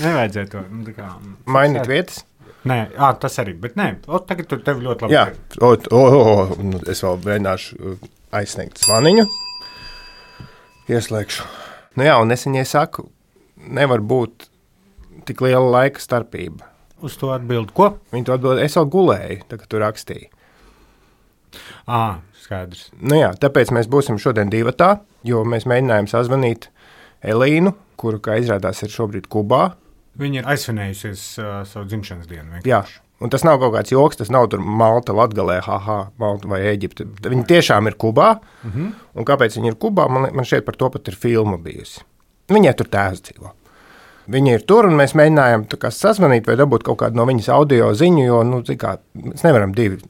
nevajadzēja to. Mainīt vietas? Nē, tas arī, bet nē, tagad tur tev ļoti labi. Jā, es vēl mēģināšu aizsniegt zvaniņu. Ieslēgšu. Nu jā, un es viņai saku, nevar būt tik liela laika starpība. Uz to atbild, ko? Viņa to atbild, es vēl gulēju, tā, kad tu rakstīji. Skaidrs. Nu jā, tāpēc mēs būsim šodien divatā, jo mēs mēģinājām sazvanīt Elīnu, kuru, kā izrādās, ir šobrīd Kubā. Viņa ir aizsvinējusies savu dzimšanas dienu. Vienkārši. Jā, un tas nav kaut kāds joks, tas nav tur Malta, Latgalē, Malta vai Eģipte. Viņa tiešām ir Kubā, un kāpēc viņa ir Kubā, man šeit par to pat ir filma bijusi. Viņai tur tēvs dzīvo. Viņa ir tur, un mēs mēģinājām sazvanīt vai dabūt kaut kādu no viņas audio ziņu, jo, mēs nevaram divi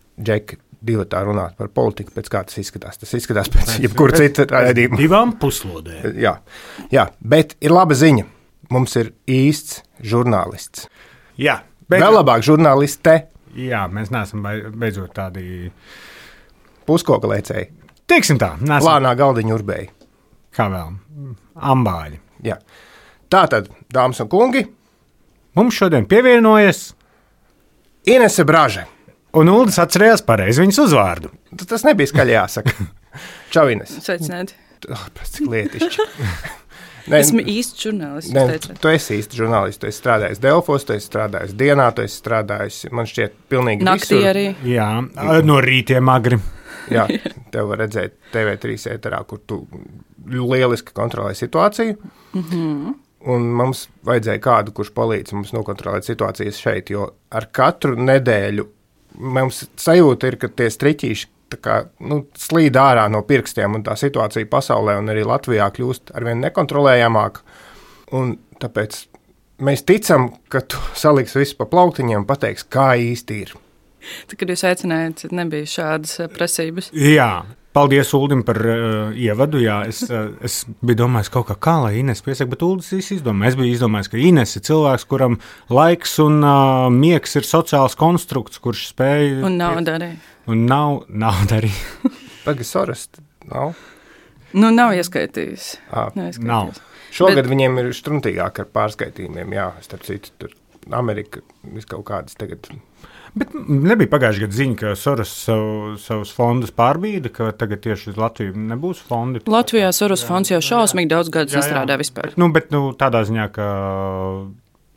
tā runāt par politiku, pēc kā tas izskatās. Tas izskatās pēc jebkura cita raidījuma. Divām puslodēm. Jā, bet ir laba ziņa. Mums ir īsts žurnālists. Jā. Vēl labāk žurnāliste. Jā, mēs neesam beidzot tādi puskoka lēcēji. Teiksim tā. Plānā galdiņu urbēji. Kā vēl? Ambāļi. Jā. Tātad, dāmas un kungi, mums šodien pievienojas Inese Braže. Un Uldis atcerējās pareizi viņas uzvārdu. Tas nebija skaļi jāsaka. Čau, Ines. Sveicināti. Cik lietišķi. Esmu īsts žurnālists. Tu esi īsts žurnālists. Tu esi strādājis Delfos, tu esi strādājis dienā, tu esi strādājis, man šķiet, pilnīgi naktī visur. Arī. Jā, no rītiem agri. Jā, tev var redzēt TV3 ēterā, kur tu lieliski kontrolē situāciju. Un mums vajadzēja kādu, kurš palīdz mums nokontrolēt situācijas šeit, jo ar katru nedēļu mums sajūta ir, ka tie striķīši slīd ārā no pirkstiem, un tā situācija pasaulē un arī Latvijā kļūst arvien nekontrolējamāka. Un tāpēc mēs ticam, ka tu saliksi visu pa plauktiņiem un pateiks, kā īsti ir. Tad, kad jūs aicinājāt, nebija šādas prasības. Jā. Paldies Uldim par ievadu. Jā, es biju domājis kaut kā lai Ines piesaka, bet Uldis izdomāja. Es biju izdomājis, ka Ines ir cilvēks, kuram laiks un miegs ir sociāls konstrukts, kurš spēj... Un nauda arī. Un nauda arī. Tagad Soros nav? Nu, nav ieskaitījis. Nav. Šogad viņiem ir štruntīgāk ar pārskaitījumiem, jā, starp citu, tur Amerika viskaut kādas tagad... Bet nebija pagājušajā gadā ziņa, ka Soros savus fondus pārbīda, ka tagad tieši uz Latviju nebūs fondi. Latvijā Soros fonds jau šausmīgi daudz gadus nestrādā vispār. Bet tādā ziņā, ka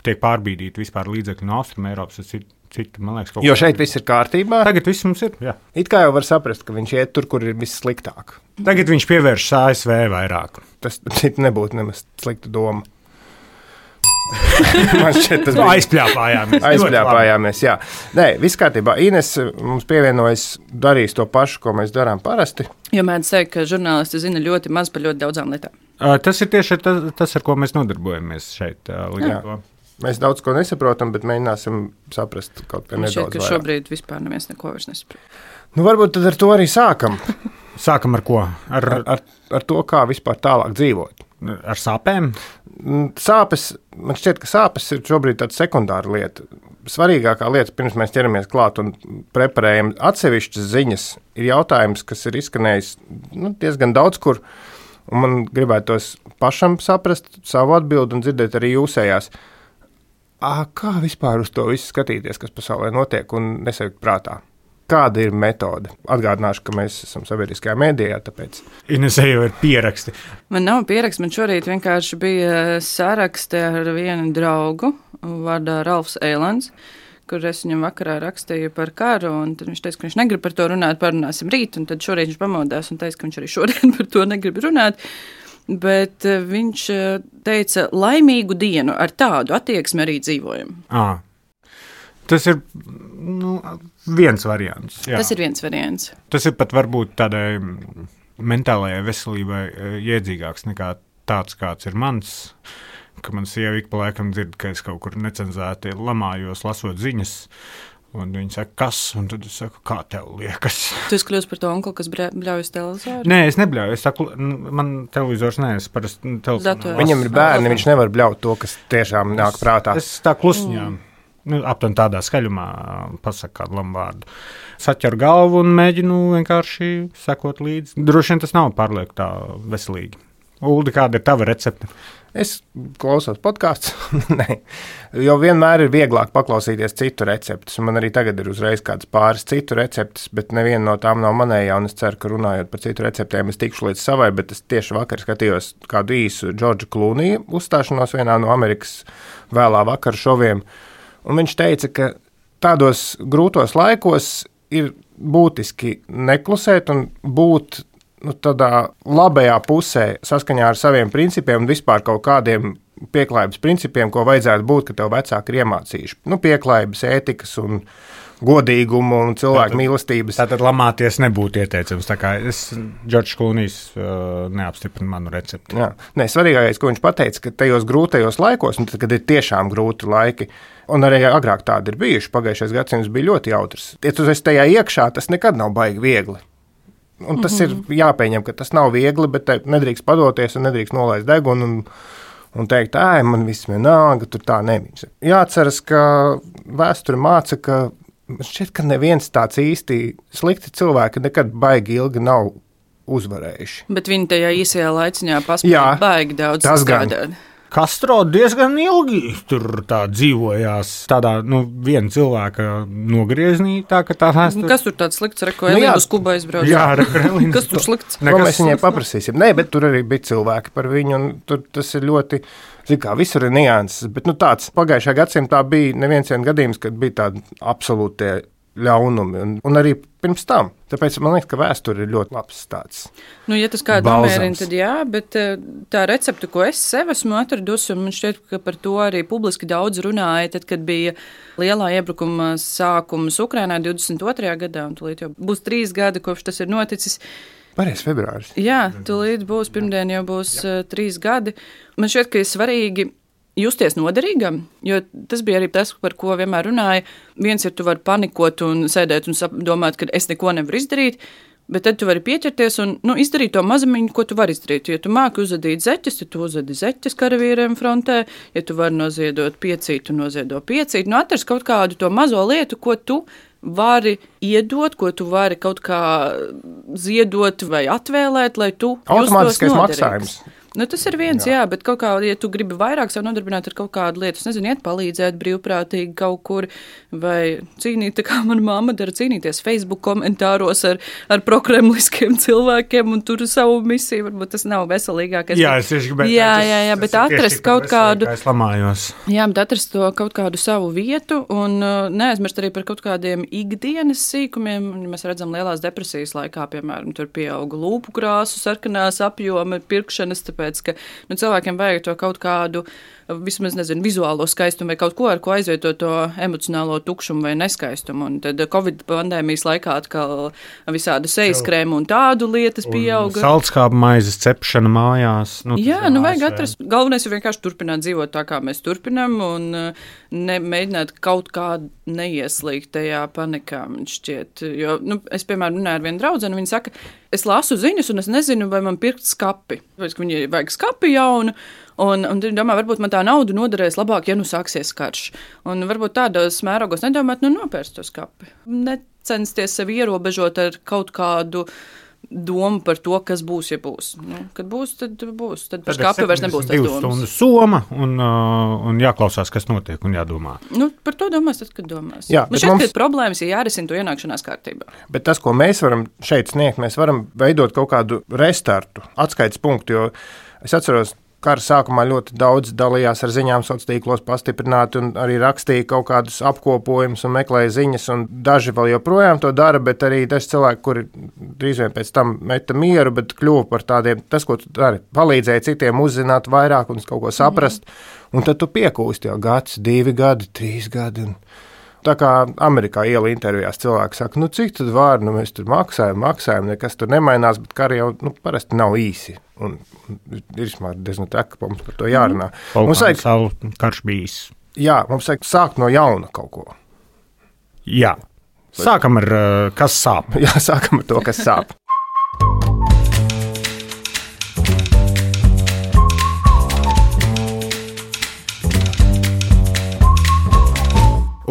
tiek pārbīdīti vispār līdzekļi no Austrum Eiropas, tas ir citi, man liekas, kaut jo šeit viss ir kārtībā. Tagad viss mums ir, jā. It kā jau var saprast, ka viņš iet tur, kur ir viss sliktāk. Tagad viņš pievēršas ASV vairāk. Tas nebūtu nemaz slikta doma. Man šķiet, tas bija aizpļāpājāmies, jā. Nē, viss kārtībā. Ines mums pievienojas, darīs to pašu, ko mēs darām parasti. Jo mēdz teikt, ka žurnālisti zina ļoti maz par ļoti daudzām lietām. Tas ir tieši tas, ar ko mēs nodarbojamies šeit. Mēs daudz ko nesaprotam, bet mēģināsim saprast kaut kā nedaudz vairāk. Šobrīd vispār neviens neko vairs nesaprot. Nu, varbūt tad ar to arī sākam. Sākam ar ko? Ar to, kā vispār tālāk dzīvot. Ar sāpēm? Sāpes, man šķiet, ka sāpes ir šobrīd tāda sekundāra lieta. Svarīgākā lieta, pirms mēs ķeramies klāt un preparējam atsevišķas ziņas, ir jautājums, kas ir izskanējis diezgan daudz kur, un man gribētos pašam saprast savu atbildi un dzirdēt arī jūsējās. Kā vispār uz to visu skatīties, kas pasaulē notiek un nesajūt prātā? Kāda ir metode? Atgādināšu, ka mēs esam sabiedriskajā mēdījā, tāpēc... Inesē jau ir pieraksti. Man nav pieraksti, man šorīt vienkārši bija saraksti ar vienu draugu, vārdā Ralfs Eilands, kur es viņam vakarā rakstīju par karu, un tad viņš teica, ka viņš negrib par to runāt, parunāsim rīt, un tad šorīt viņš pamodās un teica, ka viņš arī šodien par to negrib runāt. Bet viņš teica, laimīgu dienu, ar tādu attieksmi arī dzīvojam. Tas ir viens variants. Jā. Tas ir viens variants. Tas ir pat varbūt tādai mentālajai veselībai iedzīgāks nekā tāds, kāds ir mans, ka man sieva ik pa laikam dzird, ka es kaut kur necenzēti lamājos, lasot ziņas, un viņi saka, kas? Un tad es saku, kā tev liekas? Tu esi kļūst par to onkli, kas bļauj uz televizoru? Nē, es nebļauju. Es saku, man televizors neesmu parasti telefonu. Viņam ir bērni, viņš nevar bļaut to, kas tiešām nāk prātā. Es tā klusiņā. Aptuveni tādā skaļumā pasaku kādu labu vārdu. Saķeru galvu un mēģinu vienkārši sekot līdzi. Droši vien tas nav pārlieku tā veselīgi. Uldi, kāda ir tava recepte? Es klausos podkāstus, jo vienmēr ir vieglāk paklausīties citu receptes. Man arī tagad ir uzreiz kādas pāris citu receptes, bet neviena no tām nav manējā. Es ceru, ka runājot par citu receptēm, es tikšu līdz savai, bet es tieši vakar skatījos kādu īsu Džordža Klūnija uzstāšanos vienā no Amerikas vēlā vakara šoviem. Un viņš teica, ka tādos grūtos laikos ir būtiski neklusēt un būt tādā labajā pusē saskaņā ar saviem principiem un vispār kaut kādiem pieklājības principiem, ko vajadzētu būt, ka tev vecāki ir iemācījuši. Pieklājības, ētikas un godīgumu un cilvēku mīlestības. Tātad lamāties nebūtu ieteicams. Tā kā Džordžs Klūnijs neapstiprina manu recepti. Jā. Nē, svarīgākais, ko viņš pateica, ka tajos grūtajos laikos, un tad, kad ir tiešām grūti laiki, un arī agrāk tādi ir bijuši, pagājušais gadsimts bija ļoti jautrs. Ja tu esi tajā iekšā, tas nekad nav baigi viegli. Un tas ir jāpieņem, ka tas nav viegli, bet nedrīkst padoties un nedrīkst nolaist degunu un teikt, man viss vienalga, tur tā nebija. Jāatceras, ka vēsture māca, ka šķiet, ka neviens tāds īsti slikti cilvēki nekad baigi ilgi nav uzvarējuši. Bet viņi tajā īsajā laiciņā paspēja baigi daudz strādāt. Castro diezgan ilgi tur tā dzīvojās, tādā, viena cilvēka nogrieznī, tā ka tā vēsture. Kas tur tāds slikts, ko Elīna uz Kubu aizbrauc? Jā, Elīna. Kas tur slikts? Ko mēs viņai paprasīsim? Nē, bet tur arī bija cilvēki par viņu, un tur tas ir ļoti, visur ir nianses, bet tāds pagājušajā gadsimtā bija neviens gadījums, kad bija tādi absolūtie ļaunumi, un arī pirms tam. Tāpēc man liekas, ka vēsture ir ļoti labs tāds. Ja tas kādu nomierina, tad jā, bet tā recepte, ko es sev esmu atradusi, un man šķiet, ka par to arī publiski daudz runāja, tad, kad bija lielā iebrukuma sākums Ukrainā 22. gadā, un tūlīt jau būs 3 gadi, kopš tas ir noticis. Pareizi, februāris. Jā, tūlīt būs, pirmdien jau būs 3 gadi. Man šķiet, ka ir svarīgi justies noderīgam, jo tas bija arī tas, par ko vienmēr runāja. Viens ir, tu vari panikot un sēdēt un domāt, ka es neko nevaru izdarīt, bet tad tu vari pieķerties un izdarīt to mazamiņu, ko tu vari izdarīt. Ja tu māki uzadīt zeķes, tad tu uzadi zeķes karavīriem frontē, ja tu vari noziedot piecīt, tu noziedo piecīt. Atrast kaut kādu to mazo lietu, ko tu vari iedot, ko tu vari kaut kā ziedot vai atvēlēt, lai tu justos noderīgs. Automātiskais maksājums. Tas ir viens, jā, bet kaut kā, ja tu gribi vairāk sev nodarbināt ar kaut kādu lietu, iet palīdzēt brīvprātīgi kaut kur, vai cīnīt, tā kā mana mamma dara, cīnīties Facebook komentāros ar prokremliskiem cilvēkiem un tur savu misiju, varbūt tas nav veselīgākais. Jā, es tieši gribētu. Jā, bet atrast kaut kādu. Es lamājos. Jā, bet atrast to kaut kādu savu vietu un neaizmirst arī par kaut kādiem ikdienas sīkumiem. Mēs redzam lielās depresijas laikā, piemēram, tur pieauga lūpu krāsu, sarkanās apjoma, pirkšanas, tāpēc, ka cilvēkiem vajag to kaut kādu, vismaz, vizuālo skaistumu vai kaut ko, ar ko aizvietot to emocionālo tukšumu vai neskaistumu. Un tad Covid pandēmijas laikā atkal visādu sejas krēmu un tādu lietas pieauga. Saldskābu maizes cepšana mājās. Vajag atrast. Galvenais ir vienkārši turpināt dzīvot tā, kā mēs turpinām un mēģināt kaut kā neieslīgt tajā panikā, man šķiet. Jo, es, piemēram, runāju ar vienu draudzeni, viņa saka, es lasu ziņas un es nezinu, vai man pirkt skapi. Vai viņai vajag skapi jaunu, un viņi domā, varbūt man tā nauda noderēs labāk, ja sāksies karš. Un varbūt tādos mērogos nedomāt, nopērst to skapi. Necensties sevi ierobežot ar kaut kādu domu par to, kas būs, ja būs. Kad būs, tad būs. Tad par skapi vairs nebūs tas domas. 2 stundu soma un jāklausās, kas notiek un jādomā. Par to domās, tad, kad domās. Jā, man šķiet, ka problēmas ir jārisina to ienākšanās kārtībā. Bet tas, ko mēs varam šeit sniegt, mēs varam veidot kaut kādu restartu, atskaites punktu, jo es atceros, kara sākumā ļoti daudz dalījās ar ziņām sociālos tīklos pastiprināti un arī rakstīja kaut kādus apkopojumus un meklēja ziņas, un daži vēl joprojām to dara, bet arī daži cilvēki, kuri drīz vien pēc tam meta mieru, bet kļuva par tādiem, tas, ko tu dari, palīdzēja citiem uzzināt vairāk un kaut ko saprast, un tad tu piekūsti jau 1, 2 gadi, 3 gadi, un tā kā Amerikā iela intervijās cilvēki saka, cik tad var, mēs tur maksājam, nekas tur nemainās, bet kari jau parasti nav īsi. Un ir diezgan traki, ka mums par to jārunā. Mums vajag savu karš bijis. Jā, mums vajag sākt no jauna kaut ko. Jā. Sākam ar kas sāp. Jā, sākam ar to, kas sāp.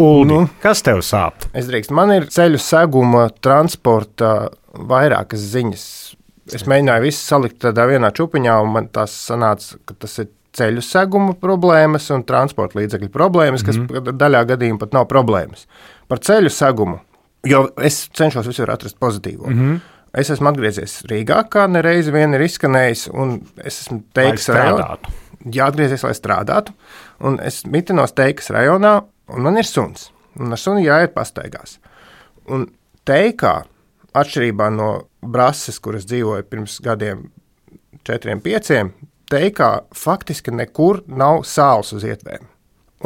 Uldi, kas tev sāp? Es drīkstu. Man ir ceļu seguma transporta vairākas ziņas. Es mēģināju visu salikt tādā vienā čupiņā, un man tas sanāca, ka tas ir ceļu seguma problēmas un transporta līdzekļu problēmas, kas daļā gadījumā pat nav problēmas. Par ceļu segumu, jo es cenšos visur atrast pozitīvo. Es esmu atgriezies Rīgā, kā nereizi vien ir izskanējis, un es esmu Teikas rajonā. Jāatgriezies, lai strādātu, un es mitinos Teikas rajonā, un man ir suns, un ar suni jāiet pastaigās. Un Teikā, atšķirībā no Brases, kuras dzīvoja pirms gadiem 4-5, Teikā faktiski nekur nav sāls uz ietvēm.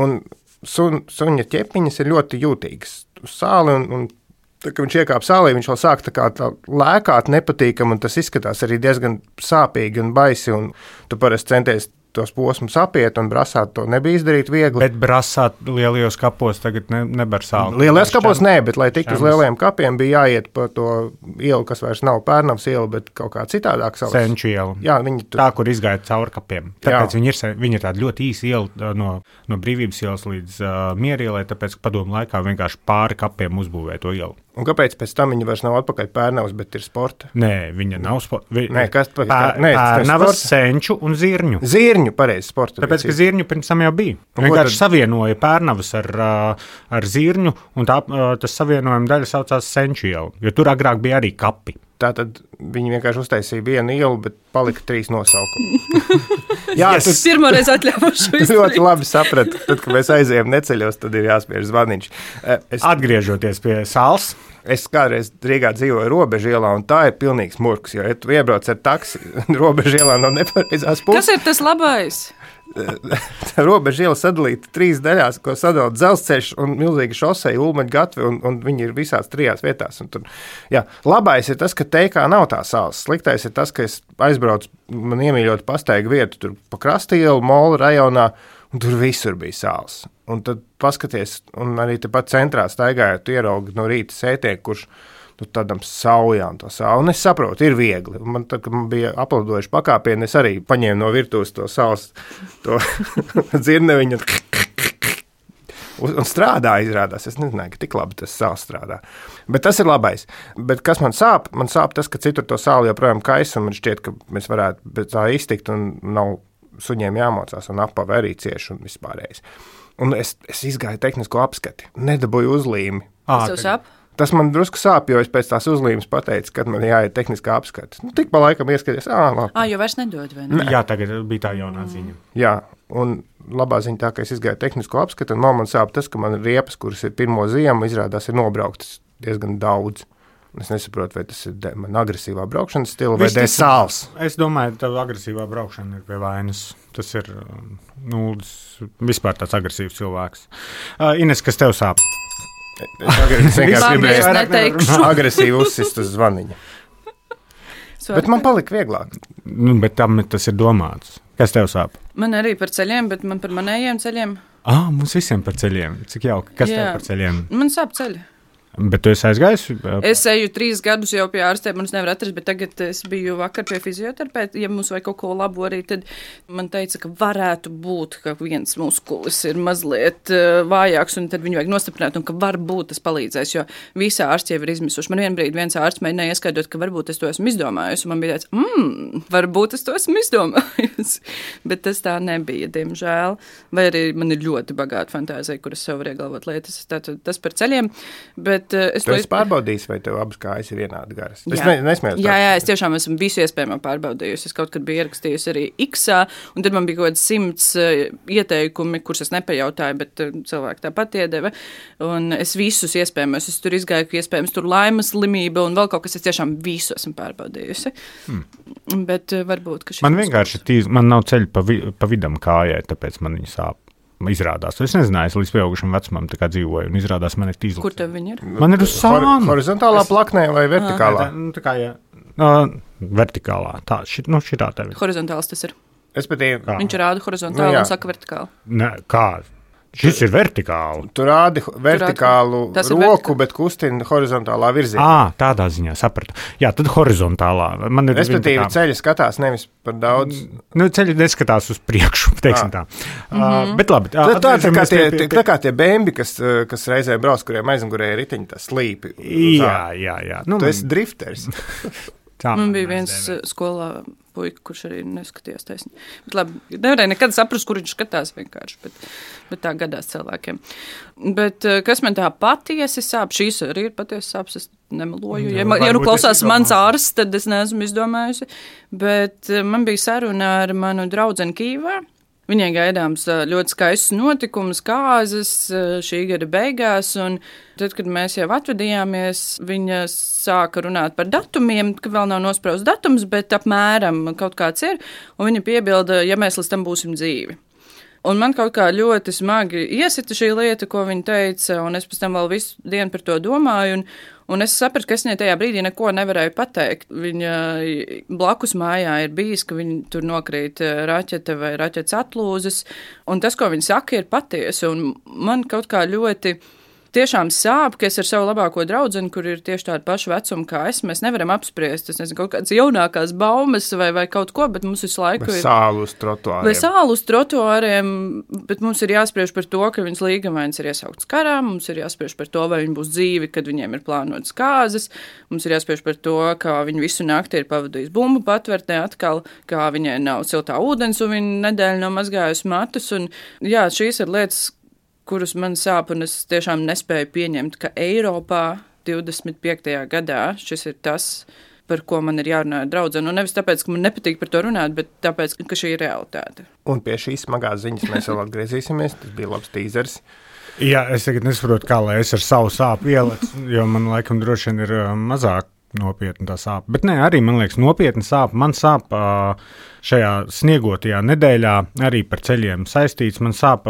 Un suņa ķepiņas ir ļoti jūtīgas uz sāli, un tā, kad viņš iekāp sālī, viņš vēl sāk tā lēkāt nepatīkam, un tas izskatās arī diezgan sāpīgi un baisi, un tu parasti centies tos posmus apiet, un Brasā to nebija izdarīt viegli. Bet Brasā lielajos kapos tagad nebar sāli. Lielajos kapos nē, bet lai tiktu uz lielajiem kapiem, bija jāiet pa to ielu, kas vairs nav Pērnavas iela, bet kaut kā citādāk savas. Senču iela. Jā, viņi tā, kur izgāja caur kapiem. Tāpēc viņi ir tāda ļoti īsa iela no Brīvības ielas līdz Miera ielai, tāpēc, ka padomu laikā vienkārši pāri kapiem uzbūvēja to ielu. Un kāpēc pēc tam viņa vairs nav atpakaļ Pērnavas, bet ir sporta? Nē, viņa nav sporta. Nē, kas Pērnavas, Senču un Zirņu. Zirņu, pareizi, sporta. Tāpēc, ka Zirņu pirms tam jau bija. Vienkārši savienoja Pērnavas ar Zirņu, un tas savienojuma daļa saucās Senču ielu, jo tur agrāk bija arī kapi. Tātad viņi vienkārši uztaisīja vienu ielu, bet palika 3 nosaukumi. Jā, tas pirmoreiz atļāvuši. Ļoti labi sapratu. Tad, kad mēs aizējām neceļos, tad ir jāspiež zvaniņš. Atgriežoties pie sāls. Es kādreiz Rīgā dzīvoju Robežu ielā, un tā ir pilnīgs murks, jo, ja tu iebrauc ar taksi Robežu ielā no nepareizās puses. Kas ir tas labais? Robežu iela sadalīta 3 daļās, ko sadala dzelzceļš un milzīga šoseja, Ulmaņa gatve, un viņi ir visās 3 vietās. Un tur, jā, labais ir tas, ka Teikā nav tā sāls. Sliktais ir tas, ka es aizbraucu, man iemīļot pastaigu vietu, tur pa Krasta ielu, Mola rajonā, un tur visur bija sāls. Un tad paskaties, un arī tepat centrā staigājot, tu ieraugi no rīta sētieku, kurš tādam saujām to sāli. Un es saprotu, ir viegli. Man, tad, kad man bija aplaudojuši pakāpieni, es arī paņēmu no virtuves to sāls, to dzirneviņu un strādā, izrādās. Es nezināju, ka tik labi tas sāls strādā. Bet tas ir labais. Bet kas man sāp? Man sāp tas, ka citur to sāli joprojām kaisa, un man šķiet, ka mēs varētu bez tā iztikt, un nav suņiem jāmocās, un apavi arī cieši un vispārējais. Un es izgāju tehnisko apskati. Nedabūju uzlīmi. Tas tev sāp? Tas man drusku sāp, jo es pēc tās uzlīmes pateicu, kad man jāiet tehniskā apskata. Tik pa laikam ieskaties, jo vairs nedod, vai ne? Jā, tagad bija tā jaunā ziņa. Jā, un labā ziņa tā, ka es izgāju tehnisko apskatu, un man sāp tas, ka man riepas, kuras ir pirmo ziemu, izrādās ir nobrauktas diezgan daudz. Es nesaprotu, vai tas ir man agresīvā braukšanas stila vai dēļ sāls. Es domāju, ka agresīvā braukšana ir pie vainas. Tas ir vispār tāds agresīvs cilvēks. Ines, kas tev sāp? Es vienkārši gribēju agresīvi uzsist uz zvaniņa. Bet man palika vieglāk. Bet tam tas ir domāts. Kas tev sāp? Man arī par ceļiem, bet man par manējiem ceļiem. Mums visiem par ceļiem. Cik jauki. Kas tev par ceļiem? Man sāp ceļi. Bet tu esi aizgājis? Es eju 3 gadus jau pie ārstiem, un es nevaru atrast, bet tagad es biju vakar pie fizioterapeita. Ja mums vajag kaut ko labu arī, tad man teica, ka varētu būt, ka viens muskulis ir mazliet vājāks, un tad viņu vajag nostiprināt, un ka varbūt tas palīdzēs, jo visi ārsti jau ir izmisuši. Man vienbrīd viens ārsts mēģināja ieskaidrot, ka varbūt es to esmu izdomājusi, un man bija tāds, varbūt es to esmu izdomājusi, bet tas tā nebija, diemžēl. Vai arī man ir ļoti bagāta fantāzija, kuras sev var iegalvot lietas. Tātad tas par ceļiem, bet tu esi pārbaudījis, vai tev abas kājas ir vienādi garas? Es nesmējos. Jā, es tiešām esmu visu iespējamo pārbaudījusi. Es kaut kad biju ierakstījusi arī X-ā, un tad man bija kaut kāds 100 ieteikumi, kurus es nepajautāju, bet cilvēki tāpat iedeva. Un es visus iespējamos, es tur izgāju, ka iespējams tur laimas slimība un vēl kaut kas, es tiešām visu esmu pārbaudījusi. Bet varbūt, ka man vienkārši man nav ceļa pa vidam kājai, tāpēc man viņa sāp. Izrādās. Es nezināju, es līdz pieaugušam vecumam tā kā dzīvoju, un izrādās man ir tīzlis. Kur tev viņi ir? Man ir uz sānu. Horizontālā plaknē vai vertikālā? Tā kā, vertikālā. Tā, šitā tev ir. Horizontāls tas ir. Viņš rāda horizontāli un saka vertikāli. Ne, kā? Šis ir vertikāli. Tu rādi vertikālu roku, bet kustina horizontālā virzienā. Tādā ziņā sapratu. Jā, tad horizontālā. Respektīvi, ceļi skatās nevis par daudz. Ceļi neskatās uz priekšu, teiksim tā. Bet labi. Tā kā tie bēmbi, kas reizē brauc, kuriem aizmugurē ir riteņi, tā slīpi. Jā. Tu esi drifters. Man bija viens skolā puika, kurš arī neskatījās taisni. Bet labi, nevarēja nekad saprast, kur viņš skatās vienkārši, bet tā gadās cilvēkiem. Bet kas man tā patiesi sāp, šīs arī ir patiesi sāps, es nemeloju. Ja klausās mans ārsts, tad es neesmu izdomājusi. Bet man bija saruna ar manu draudzeni Kīvā. Viņai gaidāms ļoti skaists notikums, kāzas šī gada beigās, un tad, kad mēs jau atvedījāmies, viņa sāka runāt par datumiem, ka vēl nav nospraust datums, bet apmēram kaut kāds ir, un viņa piebilda, ja mēs līdz tam būsim dzīvi. Un man kaut kā ļoti smagi iesita šī lieta, ko viņa teica, un es pēc tam vēl visu dienu par to domāju, un es sapratu, ka es viņai tajā brīdī neko nevarēju pateikt. Viņa blakus mājā ir bijis, ka viņa tur nokrīt raķete vai raķetes atlūzas, un tas, ko viņa saka, ir patiesi, un man kaut kā ļoti tiešām sāp, ka es ar savu labāko draudzeni, kur ir tieši tāda paša vecuma kā es, mēs nevaram apspriest, es nezinu, kaut kādas jaunākās baumas vai kaut ko, bet mums visu laiku ir sālu uz trotuāriem. Vai sālu uz trotuāriem, bet mums ir jāspriež par to, ka viņas līgavains ir iesaukts karā, mums ir jāspriež par to, vai viņi būs dzīvi, kad viņiem ir plānotas kāzas, mums ir jāspriež par to, ka viņi visu nakti ir pavadījis bumbu patvertnē atkal, kā viņai nav siltā ūdens un viņa nedēļu nav mazgājusi matus, un jā, šīs ir lietas, kurus man sāp, un es tiešām nespēju pieņemt, ka Eiropā 25. gadā šis ir tas, par ko man ir jārunā ar draudzeni. Un nevis tāpēc, ka man nepatīk par to runāt, bet tāpēc, ka šī ir realitāte. Un pie šīs smagās ziņas mēs vēl atgriezīsimies. Tas bija labs tīzers. Jā, es tagad nesaprotu, kā lai es ar savu sāpu ieliku, jo man laikam droši vien ir mazāk nopietna tā sāp. Bet nē, arī man liekas nopietna sāp. Man sāp šajā sniegotajā nedēļā arī par ceļiem saistīts. Man sāp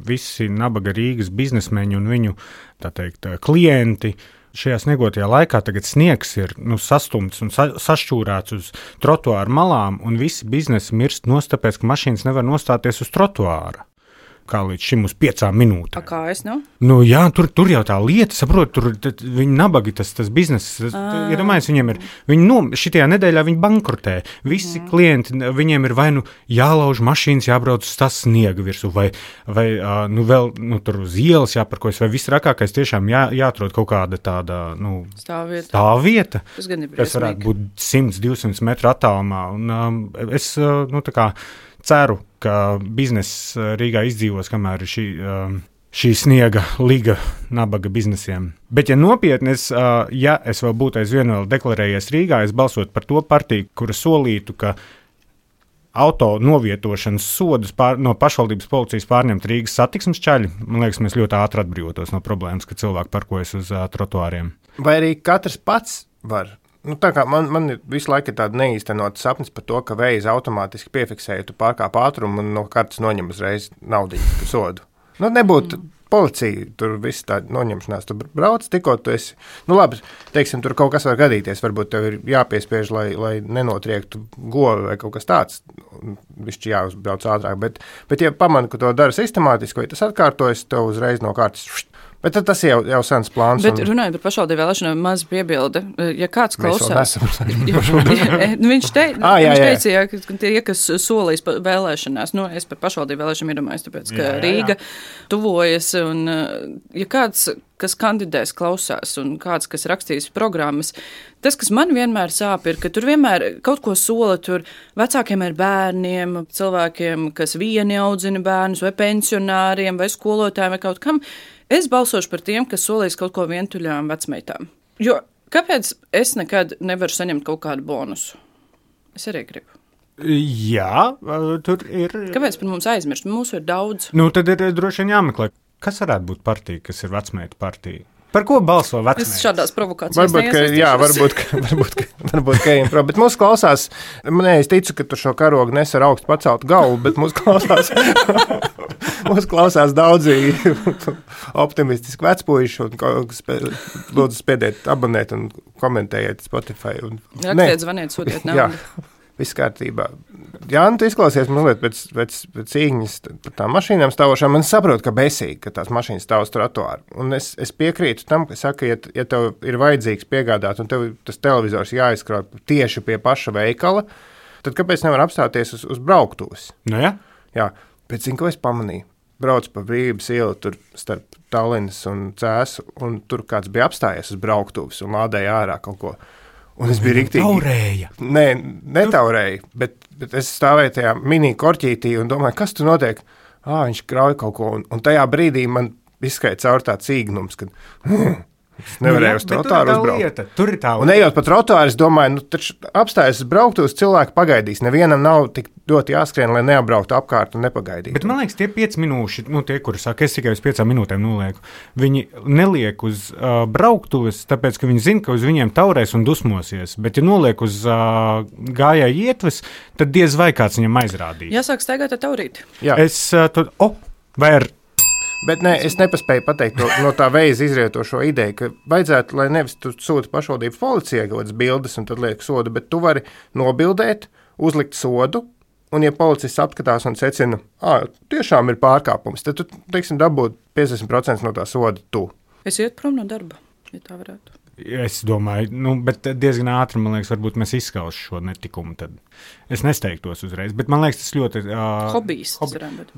visi nabaga Rīgas biznesmeņi un viņu, tā teikt, klienti. Šajā sniegotajā laikā tagad sniegs ir sastumts un sašķūrēts uz trotuāru malām, un visi biznesi mirst nost, tāpēc, ka mašīnas nevar nostāties uz trotuāra. Kā līdz šim uz 5 minūtēm. Kā es, nu? Jā, tur jau tā lieta, saprot, tur viņi nabagi, tas bizness, iedomājies, viņi šitajā nedēļā viņi bankrotē. Visi klienti, viņiem ir vai jālauž mašīnas, jābrauc uz tas sniega virsū, vai vēl tur uz ielas jāparkojas, vai viss rakākais tiešām jāatrod kaut kāda tāda, stāvvieta, kas varētu būt 100-200 metru attālumā. Un es, tā kā ceru, ka bizness Rīgā izdzīvos, kamēr ir šī sniega liga nabaga biznesiem. Bet, ja nopietni, ja es vēl būtu aizvien vēl deklarējies Rīgā, es balsotu par to partiju, kura solītu, ka auto novietošanas sodus no pašvaldības policijas pārņemt Rīgas satiksmes ceļi. Man liekas, mēs ļoti ātri atbrīvotos no problēmas, ka cilvēki parkojas uz trotuāriem. Vai arī katrs pats var? Tā kā man visu laiku ir tāda neīstenota sapnis par to, ka veids automātiski piefiksēja, tu pārkāp ātrumu un no kartes noņem uzreiz naudiņu sodu. Nebūtu policija, tur viss tā noņemšanās, tu brauc, tikko tu esi. Labi, teiksim, tur kaut kas var gadīties, varbūt tev ir jāpiespiež, lai nenotriektu govi vai kaut kas tāds, višķi jāuzbrauc ātrāk, bet ja pamani, ka to dara sistemātiski, vai tas atkārtojas, tev uzreiz no kartes. Bet tas jau sens plāns. Bet runājot par pašvaldību vēlēšanām, maz piebilde. Ja kāds klausās, viņš teica, ka tie, kas solīs vēlēšanās, es par pašvaldību vēlēšanām iedomājos, tāpēc, ka Rīga tuvojas, un ja kāds, kas kandidēs, klausās, un kāds, kas rakstīs programmas, tas, kas man vienmēr sāp, ir, ka tur vienmēr kaut ko sola tur vecākiem ar bērniem, cilvēkiem, kas vieni audzina bērnus, vai pensionāriem, vai skolotājiem, vai kaut kam. Es balsošu par tiem, kas solīs kaut ko vientuļām vecmeitām. Jo kāpēc es nekad nevaru saņemt kaut kādu bonusu? Es arī gribu. Jā, tur ir. Kāpēc par mums aizmirst? Mūsu ir daudz. Tad ir droši vien jāmeklē. Kas varētu būt partija, kas ir vecmeitu partija? Par ko balso vecmeitas? Es šādās provokācijās neiesaistīšos. Varbūt ejam prom. Bet mūs klausās, es ticu, ka tu šo karogu nes ar augstu paceltu galvu, bet mūs klausās daudzi optimistiski vecpuiši, un lūdzu spiediet abonēt un komentējiet Spotify. Rakstiet, zvaniet, sūtiet naudu. Viss kārtībā. Jā, tu izklausies mazliet pēc cīņas par tām mašīnām stāvošām. Man saprot, ka besīgi, ka tās mašīnas stāv uz trotuāru. Un es piekrītu tam, ka saka, ja tev ir vajadzīgs piegādāt un tev tas televizors jāizkrauj tieši pie paša veikala, tad kāpēc nevar apstāties uz brauktuves? Jā. Jā, bet zinu, ko es pamanīju. Brauc pa Brīvības ielu tur starp Tallinas un Cēsu, un tur kāds bija apstājies uz brauktuves un lādēja ārā kaut ko. Un es biju riktīgi. Taurēja. Nē, netaurēju, bet es stāvēju tajā mini korķītī un domāju, kas tur notiek? Viņš krauj kaut ko, un tajā brīdī man izskrēja caur tāds īgnums, kad es nevarēju uz trotuāru uzbraukt. Tur ir tā lieta. Un ejot pa trotuāru, es domāju, taču apstājas brauktos, cilvēki pagaidīs. Nevienam nav tik ļoti jāskrien, lai neapbrauktu apkārt un nepagaidītu. Bet man liekas, tie 5 minūši, tie, kuri saka, es tikai uz 5 minūtēm nolieku, viņi neliek uz brauktuves, tāpēc, ka viņi zina, ka uz viņiem taurēs un dusmosies. Bet, ja noliek uz gājēju ietves, tad diez vai kāds viņam aizrādīs. Jāsāk staigāt ar taurīti. Jā. Vai ar... Bet nē, es nepaspēju pateikt no tā veiza izrietošo ideju, ka vajadzētu, lai nevis tu sūti pašvaldības policijai kaut kādas bildes un tad liek sodu, bet tu vari nobildēt, uzlikt sodu, un ja policists apskatās un secina, tiešām ir pārkāpums, tad tu, teiksim, dabūt 50% no tā soda tu. Es iet prom no darba, ja tā varētu. Es domāju, bet diezgan ātri, man liekas, varbūt mēs izskaužam šo netikumu. Tad es nesteigtos uzreiz, bet man liekas, tas ļoti... Hobijs.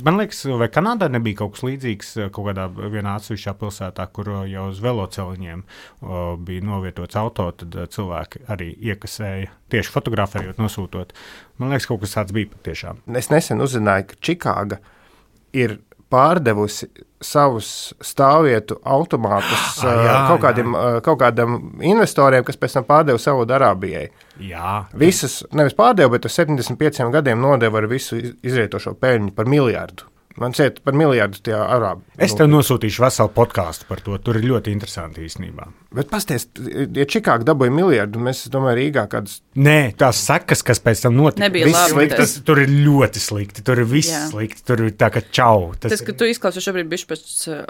Man liekas, vai Kanādā nebija kaut kas līdzīgs kaut kādā vienā atsevišķā pilsētā, kur jau uz veloceliņiem bija novietots auto, tad cilvēki arī iekasēja, tieši fotografējot, nosūtot. Man liekas, kaut kas tāds bija patiešām. Es nesen uzzināju, ka Čikāga ir pārdevusi savus stāvvietu automātus kaut kādam investoriem, kas pēc tam pārdeva Saudarābijai. Jā. Visus, nevis pārdeva, bet ar 75 gadiem nodeva ar visu izrietošo peļņu par miljardu. Man šķiet par miljardu tie arābi. Es tev nosūtīšu veselu podkāstu par to. Tur ir ļoti interesanti īstenībā. Bet pasties, ja Čikāga dabūja miljardu, mēs domājam Rīgā kādas... Nē, tās sekas, kas pēc tam notika. Nebija labi. Tur ir ļoti slikti. Tur ir viss slikti. Tur ir tā kā čau. Tas, ka tu izklausies šobrīd bišķi pēc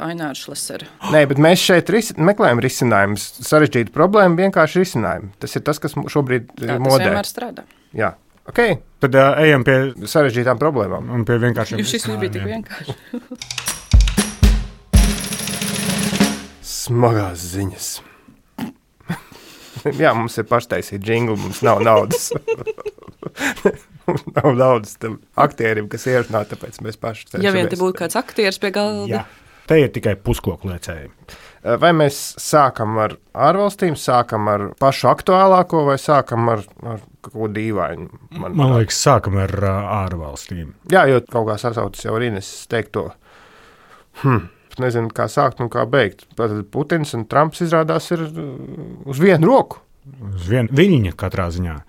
Aināra Šlesera. Nē, bet mēs šeit meklējam risinājumus. Sarežģītu problēmu, vienkārši risinājumu. Tas ir tas, kas šobrīd modē. Tas vienmēr strādā. Jā. Okay. Tad ejam pie sarežģītām problēmām. Un pie vienkāršiem. Šis nebija tik vienkārši. Smagās ziņas. Jā, mums ir paštaisīta džingli, mums nav naudas. Mums nav naudas tam aktierim, kas ierunā, tāpēc mēs paši cenšamies. Ja vien te būtu kāds aktieris pie galda. Jā. Te ir tikai puskoku lēcēji. Vai mēs sākam ar ārvalstīm, sākam ar pašu aktuālāko vai sākam ar kaut ko dīvainu? Man liekas, sākam ar ārvalstīm. Jā, jo kaut kā sasautas jau arī es teiktu to. Nezinu, kā sākt un kā beigt. Putins un Trumps izrādās ir uz vienu roku. Uz vienu viņa katrā ziņā.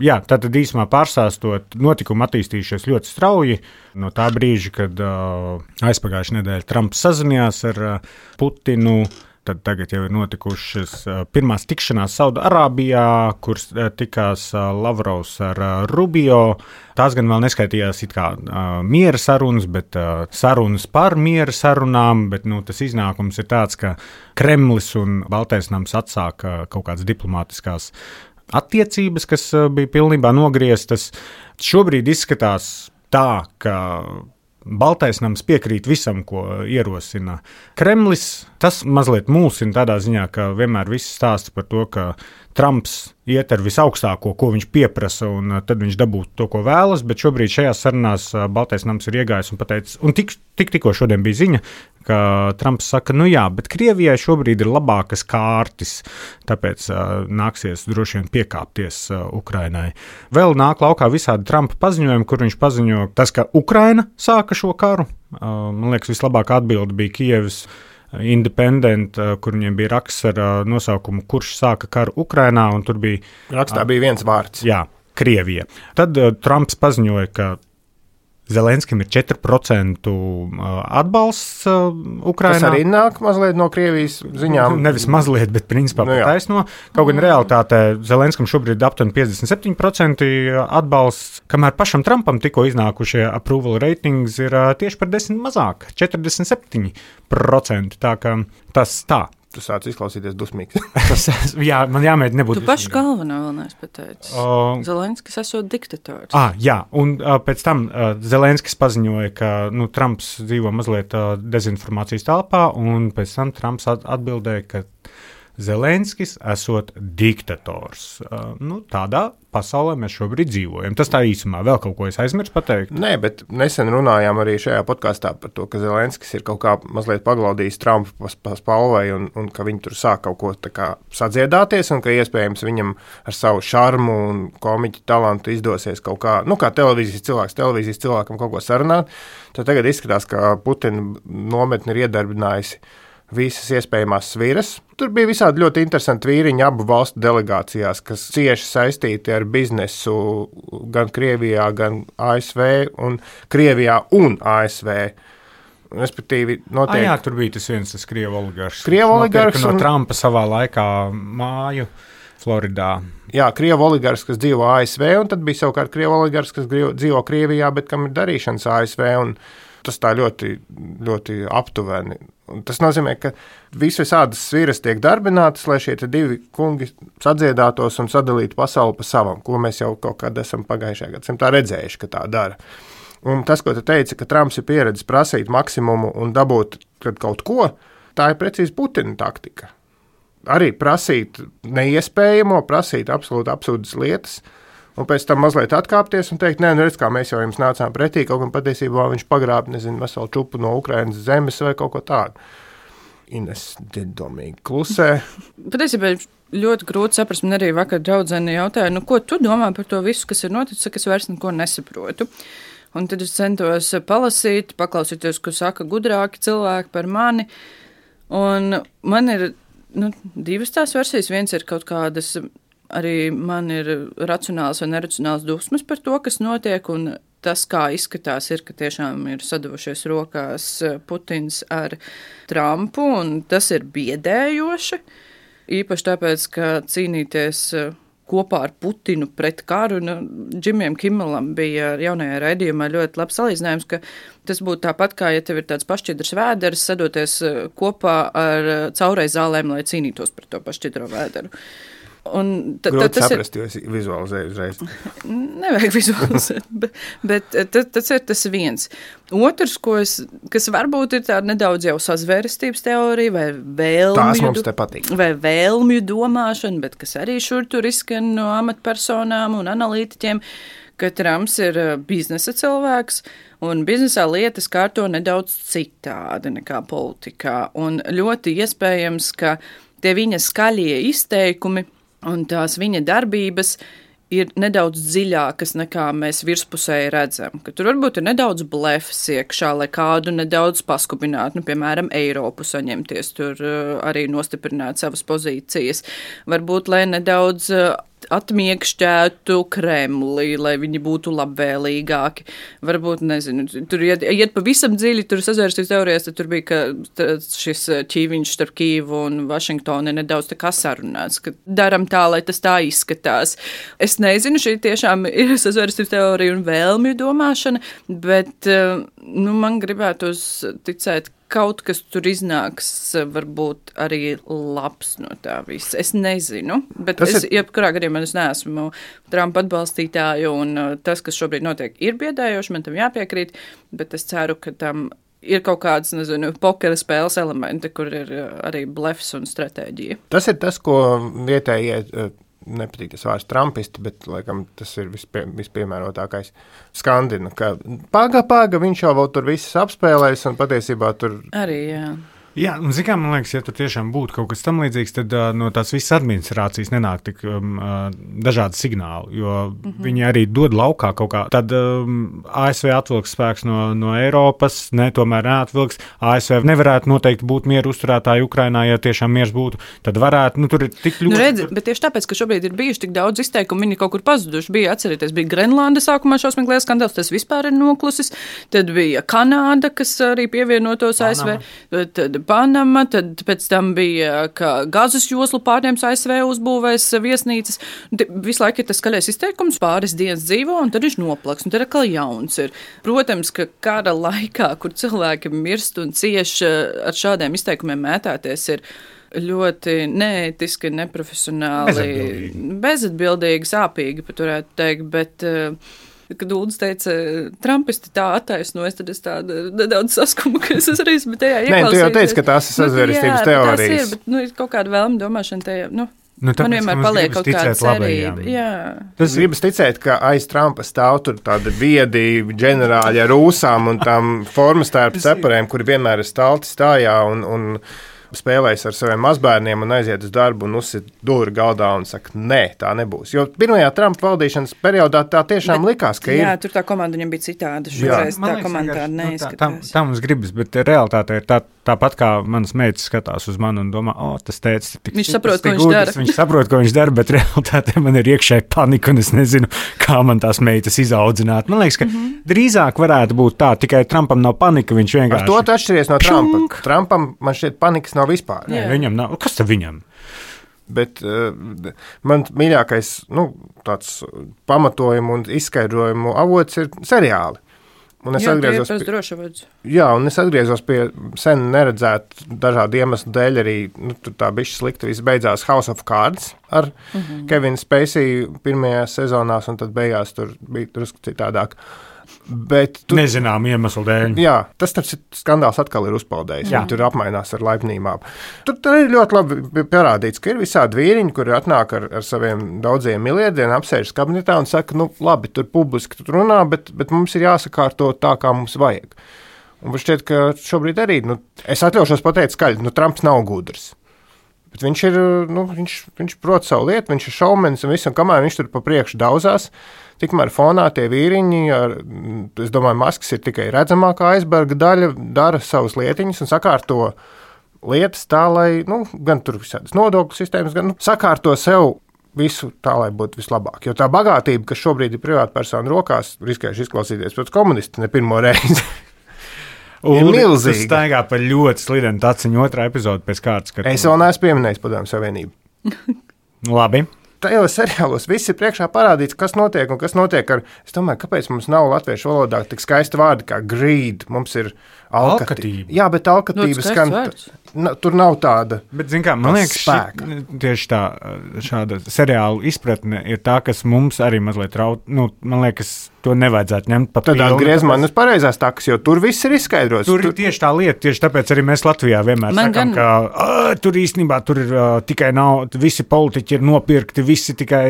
Jā, tātad īsumā pārstāstot, notikumi attīstījušies ļoti strauji. No tā brīža, kad aizpagājušā nedēļa Trumps sazinājās ar Putinu, tad tagad jau ir notikušas pirmās tikšanās Saudarābijā, kur tikās Lavrovs ar Rubio. Tās gan vēl neskaitījās it kā miera sarunas, bet sarunas par miera sarunām, bet tas iznākums ir tāds, ka Kremlis un Baltais nams atsāka kaut kādas diplomātiskās attiecības, kas bija pilnībā nogrieztas. Šobrīd izskatās tā, ka Baltais nams piekrīt visam, ko ierosina Kremlis. Tas mazliet mulsina tādā ziņā, ka vienmēr viss stāsta par to, ka Trumps iet ar visaugstāko, ko viņš pieprasa, un tad viņš dabūtu to, ko vēlas, bet šobrīd šajās sarunās Baltais nams ir iegājis un pateicis, un tikko šodien bija ziņa, ka Trumps saka, jā, bet Krievijai šobrīd ir labākas kārtas, tāpēc nāksies droši vien piekāpties Ukrainai. Vēl nāk laukā visādi Trumpa paziņojumi, kur viņš paziņo tas, ka Ukraina sāka šo karu. Man liekas, vislabākā atbilde bija Kievas Independent, kur viņiem bija raksts ar nosaukumu, kurš sāka karu Ukrainā, un tur bija... Rakstā bija viens vārds. Jā, Krievija. Tad Trumps paziņoja, ka Zelenskim ir 4% atbalsts Ukrainā. Tas arī nāk mazliet no Krievijas ziņām. Nevis mazliet, bet principā taisno. Kaut gan realitātē Zelenskim šobrīd ir aptuveni 57% atbalsts, kamēr pašam Trumpam tikko iznākušie approval ratings ir tieši par 10 mazāk, 47%. Tā kā tas tā. Tu sāc izklausīties dusmīgs. Jā, man jāmēģina nebūt dusmīgam. Tu pašu galvenā vēl neesi pateicis. Zelenskis esot diktators. Jā, un pēc tam Zelenskis paziņoja, ka Trumps dzīvo mazliet dezinformācijas telpā, un pēc tam Trumps atbildēja, ka Zelenskis esot diktators. Tādā pasaulē mēs šobrīd dzīvojam. Tas tā īsumā vēl kaut ko es aizmirsu pateikt. Nē, bet nesen runājām arī šajā podkāstā par to, ka Zelenskis ir kaut kā mazliet paglaudījis Trumpu pa spalvai un ka viņi tur sāk kaut ko tā kā sadziedāties un ka iespējams viņam ar savu šarmu un komiķu talantu izdosies kaut kā, kā televīzijas cilvēkam kaut ko sarunāt. Tad tagad izskatās, ka Putina nometni ir iedarbinājusi visas iespējamās sviras. Tur bija visādi ļoti interesanti vīriņi abu valstu delegācijās, kas cieši saistīti ar biznesu gan Krievijā, gan ASV, un Krievijā un ASV. Respektīvi, notiek... tur bija tas Krievu oligarhs. No Trumpa savā laikā māju Floridā. Jā, Krievu oligarhs, kas dzīvo ASV, un tad bija savukārt Krievu oligarhs, kas dzīvo Krievijā, bet kam ir darīšanas ASV, un tas tā ļoti, ļoti aptuveni. Un tas nozīmē, ka visādas sviras tiek darbinātas, lai šie divi kungi sadziedātos un sadalītu pasauli pa savam, ko mēs jau kaut kad esam pagājušajā gadsimtā redzējuši, ka tā dara. Un tas, ko tu teici, ka Trumps ir pieredzis prasīt maksimumu un dabūt kaut ko, tā ir precīzi Putina taktika. Arī prasīt neiespējamo, prasīt absolūti absurdas lietas, un pēc tam mazliet atkāpties un teikt, redz, kā mēs jau jums nācām pretī, kaut gan patiesībā viņš pagrāb, veselu čupu no Ukrainas zemes vai kaut ko tādu. Ines domīgi klusē. Patiesībā ļoti grūti saprast, man arī vakar draudzene jautāja, ko tu domā par to visu, kas ir noticis, ka es vairs neko nesaprotu. Un tad es centos palasīt, paklausīties, ko saka gudrāki cilvēki par mani, un man ir divas tās versijas. Viens ir kaut kādas... Arī man ir racionāls vai neracionāls dusmas par to, kas notiek, un tas, kā izskatās, ir, ka tiešām ir sadavušies rokās Putins ar Trumpu, un tas ir biedējoši. Īpaši tāpēc, ka cīnīties kopā ar Putinu pret karu, Džimijam Kimmelam bija jaunajā raidījumā ļoti labs salīdzinājums, ka tas būtu tāpat, kā ja tev ir tāds pašķidrs vēders, sadoties kopā ar caureizālēm, lai cīnītos par to pašķidro vēderu. Grūti saprast, jo es vizualizēju uzreiz. Nevajag vizualizēt, bet tas ir tas viens. Otrs, kas varbūt ir tāda nedaudz jau sazvērestības teorija vai vēlmju. Tās mums te patīk. Vai vēlmju domāšana, bet kas arī šur tur izskan no amatpersonām un analītiķiem, ka Trumps ir biznesa cilvēks un biznesā lietas kārto nedaudz citādi nekā politikā. Un ļoti iespējams, ka tie viņa skaļie izteikumi un tās viņa darbības ir nedaudz dziļākas nekā mēs virspusēji redzam. Ka tur varbūt ir nedaudz blefs iekšā, lai kādu nedaudz paskubinātu, piemēram, Eiropu saņemties, tur arī nostiprināt savas pozīcijas. Varbūt, lai nedaudz atmiekšķētu Kremli, lai viņi būtu labvēlīgāki. Varbūt, nezinu, tur iet pavisam dziļi, tur sazvērstības teorijas, tad tur bija, ka šis ķīviņš starp Kīvu un Vašingtonu ir nedaudz tā kā sarunāts, ka daram tā, lai tas tā izskatās. Es nezinu, šī tiešām ir sazvērstības teorija un vēlmju domāšana, bet man gribētos ticēt, kaut kas tur iznāks, varbūt arī labs no tā visa. Es nezinu, bet jebkurā gadījumā es neesmu Trumpa atbalstītāju, un tas, kas šobrīd notiek, ir biedējoši, man tam jāpiekrīt, bet es ceru, ka tam ir kaut kāds, pokera spēles elementi, kur ir arī blefs un stratēģija. Tas ir tas, ko vietējie nepatīk tas vārds trumpisti, bet, laikam, tas ir vispiemērotākais skandina, ka paga, viņš jau vēl tur visas apspēlēs un patiesībā tur... Arī, jā. Jā, un zikā, man liekas, ja tur tiešām būtu kaut kas tam līdzīgs, tad no tās visas administrācijas nenāk tik dažādi signāli, jo viņi arī dod laukā kaut kā. Tad ASV atvilks spēks no Eiropas, tomēr neatvilks. ASV nevarētu noteikti būt mieru uzturētāji Ukrainā, ja tiešām miers būtu, tad varētu, tur ir tik ļoti... redzi, bet tieši tāpēc, ka šobrīd ir bijuši tik daudz izteikumu, viņi kaut kur pazuduši. Bija Grenlanda sākumā šausmīgais skandāls, tas vispār ir noklusis. Tad bija Kanāda, kas arī pievienotos ASV. Tad Panama, tad pēc tam bija, ka Gazas joslu pārņems ASV uzbūvēs viesnīcas. Visu laiku ir tas skaļais izteikums, pāris dienas dzīvo, un tad viņš noplaks, un tad atkal jauns ir. Protams, ka kara laikā, kur cilvēki mirst un cieši ar šādiem izteikumiem mētāties, ir ļoti neētiski, neprofesionāli, bezatbildīgi, sāpīgi, pat varētu teikt, bet... Kad Uldis teica, Trumpisti tā attaisnojas, tad es tādu nedaudz saskumu, ka es arī esmu tajā ieklausījies. Nē, tu jau teici, ka tās ir sazvērestības teorijas. Tas ir, bet, ir kaut kāda vēlma domāšana tajā, tāpēc, man vienmēr paliek kaut kāda cerība. Tas gribas ticēt, ka aiz Trumpa stāv tur tādi viedi ģenerāļi ar ūsām un tām formas tērpu ceparēm, kuri vienmēr ir stalti stājā un spēlējas ar saviem mazbērniem un aiziet uz darbu un uzsit dūri galdā un saka, nē, tā nebūs. Jo pirmajā Trumpa valdīšanas periodā tā tiešām likās, ka jā, tur tā komanda viņam bija citāda. Šoreiz tā komanda tāda neizskatās. Tā mums gribas, bet realitāte ir tāpat kā manas meitas skatās uz mani un domā, tas tēcis ir tik viņš saprot, ko viņš dara. Viņš saprot, ko viņš dara, bet realitāte man ir iekšēji panika un es nezinu, kā man tās meitas izaudzināt. Man liekas, ka drīzāk varētu būt tā, tikai Trumpam nav panika, viņš vienkārši... Ar to tu atšķiries no Trumpa. Trumpam man šķiet panikas nav vispār. Jā, viņam nav. Kas tad viņam? Bet man mīļākais tāds pamatojumu un izskaidrojumu avots ir seriāli. Un es atgriezos pie sen neredzētu dažādu iemeslu dēļ arī, tur tā bišķi slikti viss beidzās House of Cards ar Kevinu Spacey pirmajās sezonās, un tad beigās tur bija drusku citādāk. Bet nezinām iemeslu dēļ. Jā, tas skandāls atkal ir uzpeldējis. Viņi tur apmainās ar laipnībām. Tur ir ļoti labi parādīts, ka ir visādi vīriņi, kuri atnāk ar saviem daudziem miljardiem, apsēžas kabinetā un saka, labi, tur publiski tur runā, bet mums ir jāsakārto tā, kā mums vajag. Un šķiet, ka šobrīd arī, es atļaušos pateikt skaļi, Trumps nav gudrs. Bet viņš ir, viņš prot savu lietu, viņš ir šaumenis un visu, un kamēr viņš tur pa priekšu dauzās, tikmēr fonā tie vīriņi, es domāju, Masks ir tikai redzamākā aizberga daļa, dara savas lietiņas un sakārto lietas tā, lai, gan tur visādas nodokļu sistēmas, gan sakārto sev visu tā, lai būtu vislabāk. Jo tā bagātība, kas šobrīd ir privātpersonu rokās, riskējuši izklausīties pēc komunisti ne pirmo reizi. Ir milzīgi. Tas staigā par ļoti slidenu taciņu otrā epizodu pēc kārtas. Es vēl neesmu pieminējis Padomju Savienību. Labi. Tajos seriālos viss ir priekšā parādīts, kas notiek un kas notiek ar... Es domāju, kāpēc mums nav latviešu valodā tik skaista vārdi kā greed, mums ir alkatība. Jā, bet alkatības skan... Tur nav tāda bet, zin kā, man liekas, tieši tā, šāda seriāla izpratne ir tā, kas mums arī mazliet raut... man liekas, to nevajadzētu ņemt pa pilnu. Tad atgriez man uz pareizās takas, jo tur viss ir izskaidrots. Tur ir tieši tā lieta, tieši tāpēc arī mēs Latvijā vienmēr sakām, ka tur īstenībā tur ir tikai nav, visi politiķi ir nopirkti, visi tikai...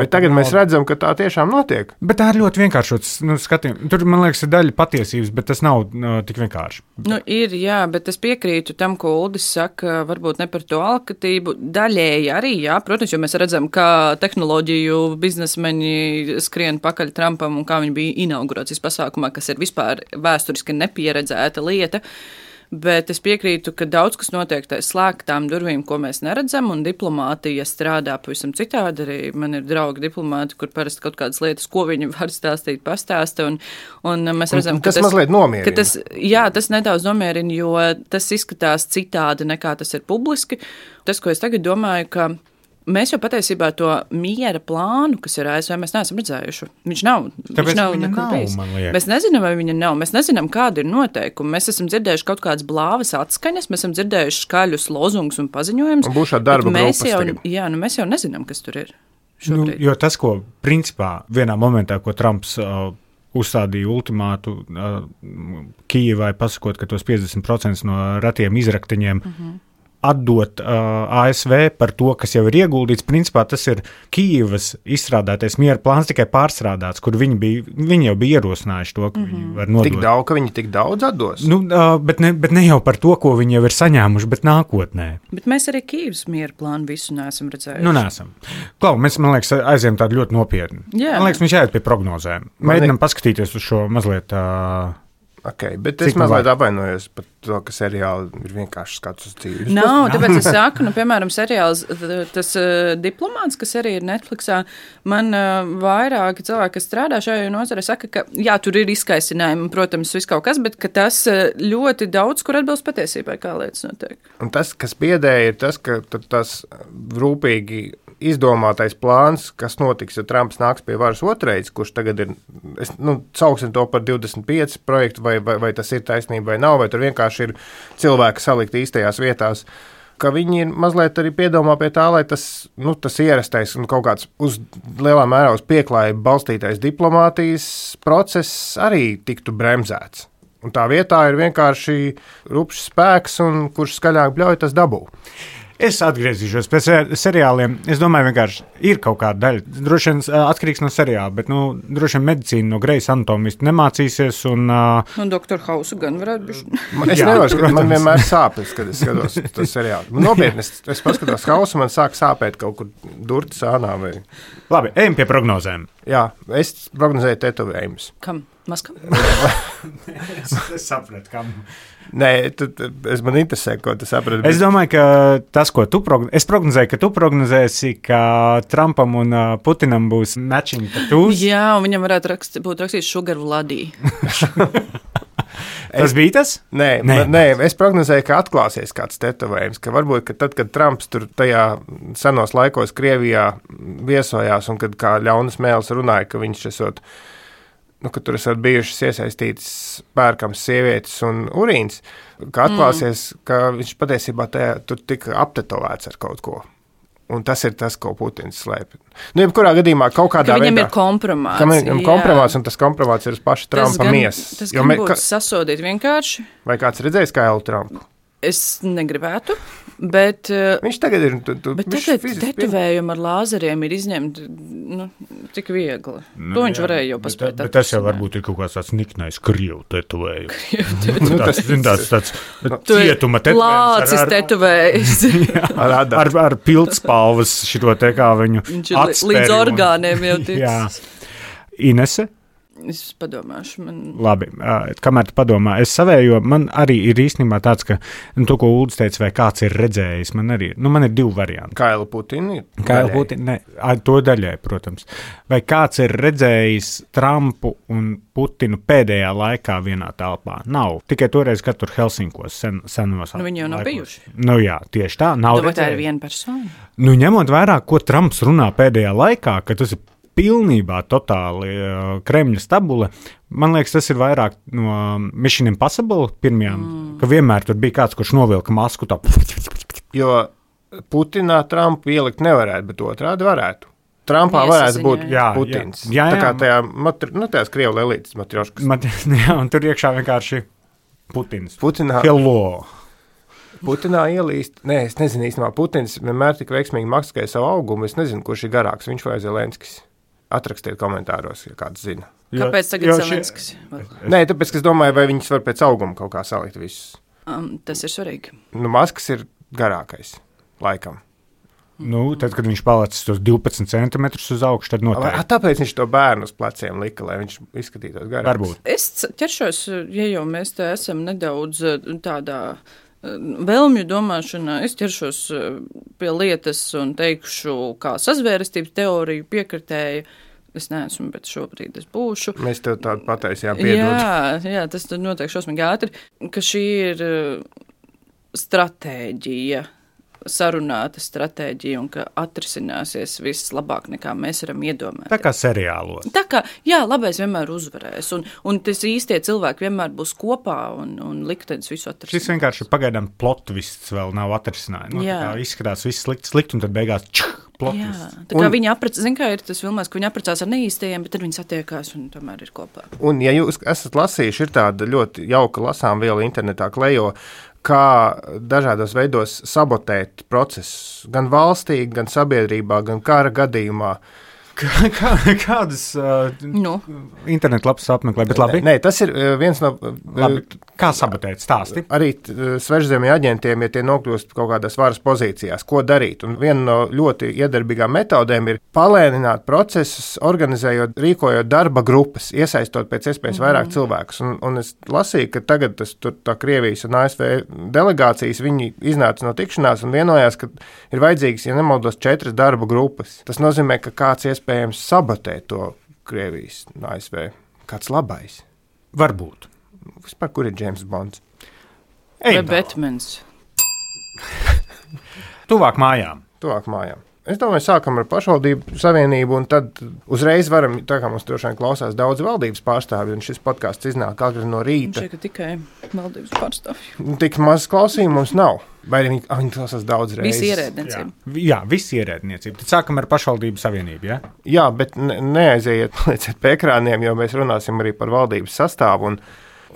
bet tagad mēs redzam, ka tā tiešām notiek. Bet tā ir ļoti vienkāršots skatījums. Tur, man liekas, ir daļa patiesības, bet tas nav tik vienkārši. Ir, jā, bet es piekrītu tam, ko Uldis saka, varbūt ne par to alkatību. Daļēji arī, jā, protams, jo mēs redzam, kā tehnoloģiju biznesmeņi skrien pakaļ Trumpam un kā viņi bija inaugurācijas pasākumā, kas ir vispār vēsturiski nepieredzēta lieta. Bet es piekrītu, ka daudz kas notiek aiz slēgtām durvīm, ko mēs neredzam, un diplomātija strādā pavisam citādi. Arī man ir draugi diplomāti, kur parasti kaut kādas lietas, ko viņi var stāstīt, pastāsta, un mēs redzam, ka tas mazliet nomierina. Tas nedaudz nomierina, jo tas izskatās citādi, nekā tas ir publiski. Tas, ko es tagad domāju, ka mēs jau patiesībā to miera plānu, kas ir ASV, mēs neesam redzējuši. Viņš nav nekur bijis. Mēs nezinām, vai viņa nav. Mēs nezinām, kāda ir noteikumi. Mēs esam dzirdējuši kaut kādas blāvas atskaņas, mēs esam dzirdējuši skaļus lozungus un paziņojumus. Un būs šāda darba grupas tagad. Jā, mēs jau nezinām, kas tur ir šobrīd. Jo tas, ko principā vienā momentā, ko Trumps uzstādīja ultimātu Kijevai, pasakot, ka tos 50% no ratiem izraktiņiem atdot ASV par to, kas jau ir ieguldīts. Principā tas ir Kijevas izstrādātais miera plāns, tikai pārstrādāts, kur viņi jau bija ierosinājuši to, ka viņi var nodot. Tik daudz, ka viņi tik daudz atdos? Bet ne jau par to, ko viņi jau ir saņēmuši, bet nākotnē. Bet mēs arī Kijevas miera plānu visu neesam redzējuši. Neesam. Klau, mēs, man liekas, aizējām tādu ļoti nopietni. Jā. Man liekas, viņš jāiet pie prognozēm. Mēģinām paskatīties uz šo mazliet... Okay, bet es mazliet apvainojos par to, ka seriāli ir vienkārši skats uz dzīvi. Nav, tāpēc es saku, piemēram, seriāls, tas diplomāts, kas arī ir Netflixā, man vairāki cilvēki, kas strādā šajā nozarē, saka, ka jā, tur ir izkaisinājumi, protams, viss kaut kas, bet ka tas ļoti daudz, kur atbilst patiesībai, kā lietas notiek. Un tas, kas biedēja, ir tas, ka tas rūpīgi izdomātais plāns, kas notiks, ja Trumps nāks pie varas otrais, kurš tagad ir, sauksim to par 25 projektu, vai tas ir taisnība vai nav, vai tur vienkārši ir cilvēki salikt īstajās vietās. ka viņi ir mazliet arī piedomā pie tā, lai tas ierastais un kaut kāds uz lielā mērā uz pieklājību balstītais diplomātijas process arī tiktu bremzēts. Un tā vietā ir vienkārši rupšs spēks, un kurš skaļāk bļauj, tas dabū. Es atgriezīšos pie seriāliem. Es domāju, vienkārši ir kaut kāda daļa. Droši vien atkarīgs no seriāla, bet droši vien medicīna no Grejas anatomijas nemācīsies. No Dr. Hausa gan varētu būt. Es nevaru, man vienmēr sāpes, kad es skatos to seriālu. Nopietni, es paskatos Hausu, man sāk sāpēt kaut kur durti sānā. Vai... Labi, ejam pie prognozēm. Jā, es prognozēju tetovējumus. Kam? Maskam? Es sapratu, kam. Nē, man interesē, ko tu saprati. Es domāju, ka tas, ko tu prognozēji, es prognozēju, ka tu prognozēsi, ka Trumpam un Putinam būs matching tattoos. Jā, un viņam varētu būt rakstīts Sugar Vladī. Tas bija tas? Nē, es prognozēju, ka atklāsies kāds tetovējums, ka varbūt, ka tad, kad Trumps tur tajā senos laikos Krievijā viesojās un kad kā ļaunas mēls runāja, ka viņš esot ka tur esat bijušas iesaistītas pērkams sievietes un urīns, ka atklāsies, ka viņš patiesībā tur tika aptetovēts ar kaut ko. Un tas ir tas, ko Putins slēpj. Jebkurā gadījumā kaut kādā veidā... Ka viņam ir kompromāts. Ka viņam kompromāts, un tas kompromāts ir uz paša Trumpa miesas. Tas gan būtu sasodīt vienkārši. Vai kāds redzējis Kailu Trumpu? Es negribētu, bet... Viņš tagad ir... Bet tagad tetovējumi ar lāzeriem ir izņemti, tik viegli. To viņš varēja jau paspēt. Bet tas jau varbūt ir kaut kāds tāds niknais krievu tetovējums. tāds cietuma tetovējums. Lācis tetovējums. Ar pildspalvas šito te kā viņu atspēri. Līdz orgāniem jau tiks. Jā. Inese? Es padomāšu. Labi, kamēr tu padomā, es savējo, man arī ir īstenībā tāds, ka to, ko Uldis teica, vai kāds ir redzējis, man ir 2 varianti. Kailu Putinu? Kailu Putinu, ne, to daļai, protams. Vai kāds ir redzējis Trumpu un Putinu pēdējā laikā vienā telpā? Nav. Tikai toreiz, kad tur Helsinkos senos. Viņi jau nav bijuši. Jā, tieši tā. Nav redzējuši. Tā ir viena persona. Ņemot vērā, ko Trumps runā pēdējā laikā, ka tas ir pilnībā totāli Kremļa stabule. Man liekas, tas ir vairāk no Mission Impossible pirmajām, ka vienmēr tur bija kāds, kurš novilka masku tā. Jo Putinā Trumpu ielikt nevarētu, bet otrādi varētu. Trumpā varētu būt Putins. Jā. Tā kā tajās Krievu lelītes matrioškas. Jā, un tur iekšā vienkārši Putins. Putinā. Hello. Putinā ielīst, es nezinu īstenībā, Putins vienmēr tik veiksmīgi maskēja savu augumu, es nezinu, kurš ir garāks, viņš vai Zelenskis. Atrakstiet komentāros, ja kāds zina. Kāpēc tagad Zelenskis? Nē, tāpēc, ka es domāju, vai viņus var pēc auguma kaut kā salikt visus. Tas ir svarīgi. Maskas ir garākais, laikam. Tad, kad viņš palicis tos 12 centimetrus uz augšu, tad noteikti. Tāpēc viņš to bērnu uz pleciem lika, lai viņš izskatītos garāks. Varbūt. Es ķeršos, ja jau mēs te esam nedaudz tādā vēlmju domāšanā, es ķeršos pie lietas un teikšu, kā sazvērestības teoriju piekritēja. Es neesmu, bet šobrīd es būšu. Mēs tev tādu pataisījām, piedod. Jā, tas notiek šausmīgi ātri, ka šī ir stratēģija, sarunāta stratēģija un ka atrisināsies viss labāk nekā mēs varam iedomāties. Tā kā seriālos. Tā kā, labais vienmēr uzvarēs un tas īstie cilvēki vienmēr būs kopā un liktenis visu atrisinās. Šis vienkārši pagaidām plot viss vēl nav atrisinājums. Tā izskatās viss slikt un tad beigās plot viss. Tā kā viņi zin kā ir tas filmās, ka viņi apprecās ar neīstajiem, bet tad viņi satiekās un tomēr ir kopā. Un ja jūs esat lasījuši, ir tāda ļoti jauka lasām viela internetā klejo, kā dažādos veidos sabotēt procesus, gan valstī, gan sabiedrībā, gan kara gadījumā. Kādas internetu lapas apmeklē, bet labi? Nē, tas ir viens no... Labi. Kā sabotēt stāsti? Arī svešzemju aģentiem, ja tie nokļūst kaut kādās varas pozīcijās, ko darīt. Un viena no ļoti iedarbīgām metodēm ir palēnināt procesus, organizējot, rīkojot darba grupas, iesaistot pēc iespējas vairāk cilvēkus. Un es lasīju, ka tagad tā Krievijas un ASV delegācijas, viņi iznāca no tikšanās un vienojās, ka ir vajadzīgas, ja nemaldos, 4 darba grupas. Tas nozīmē, ka kāds iespējams sabotē to Krievijas un ASV. Kāds labais? Varbūt. Vispār, kur ir James Bonds? Vai Batmans? Tuvāk mājām. Es domāju, sākam ar pašvaldību savienību, un tad uzreiz varam, tā kā mums droši vien klausās daudz valdības pārstāvju, un šis podcasts iznāk agri no rīta. Šeit tikai valdības pārstāvju. Tik maz klausījumu mums nav. Vai viņi klausās daudz reizes? Visi ierēdniecība. Jā, visi ierēdniecība. Tad sākam ar pašvaldību savienību, ja? Jā, bet neaiziet pie ekrāniem, jo mēs runāsim arī par valdības sastāvu.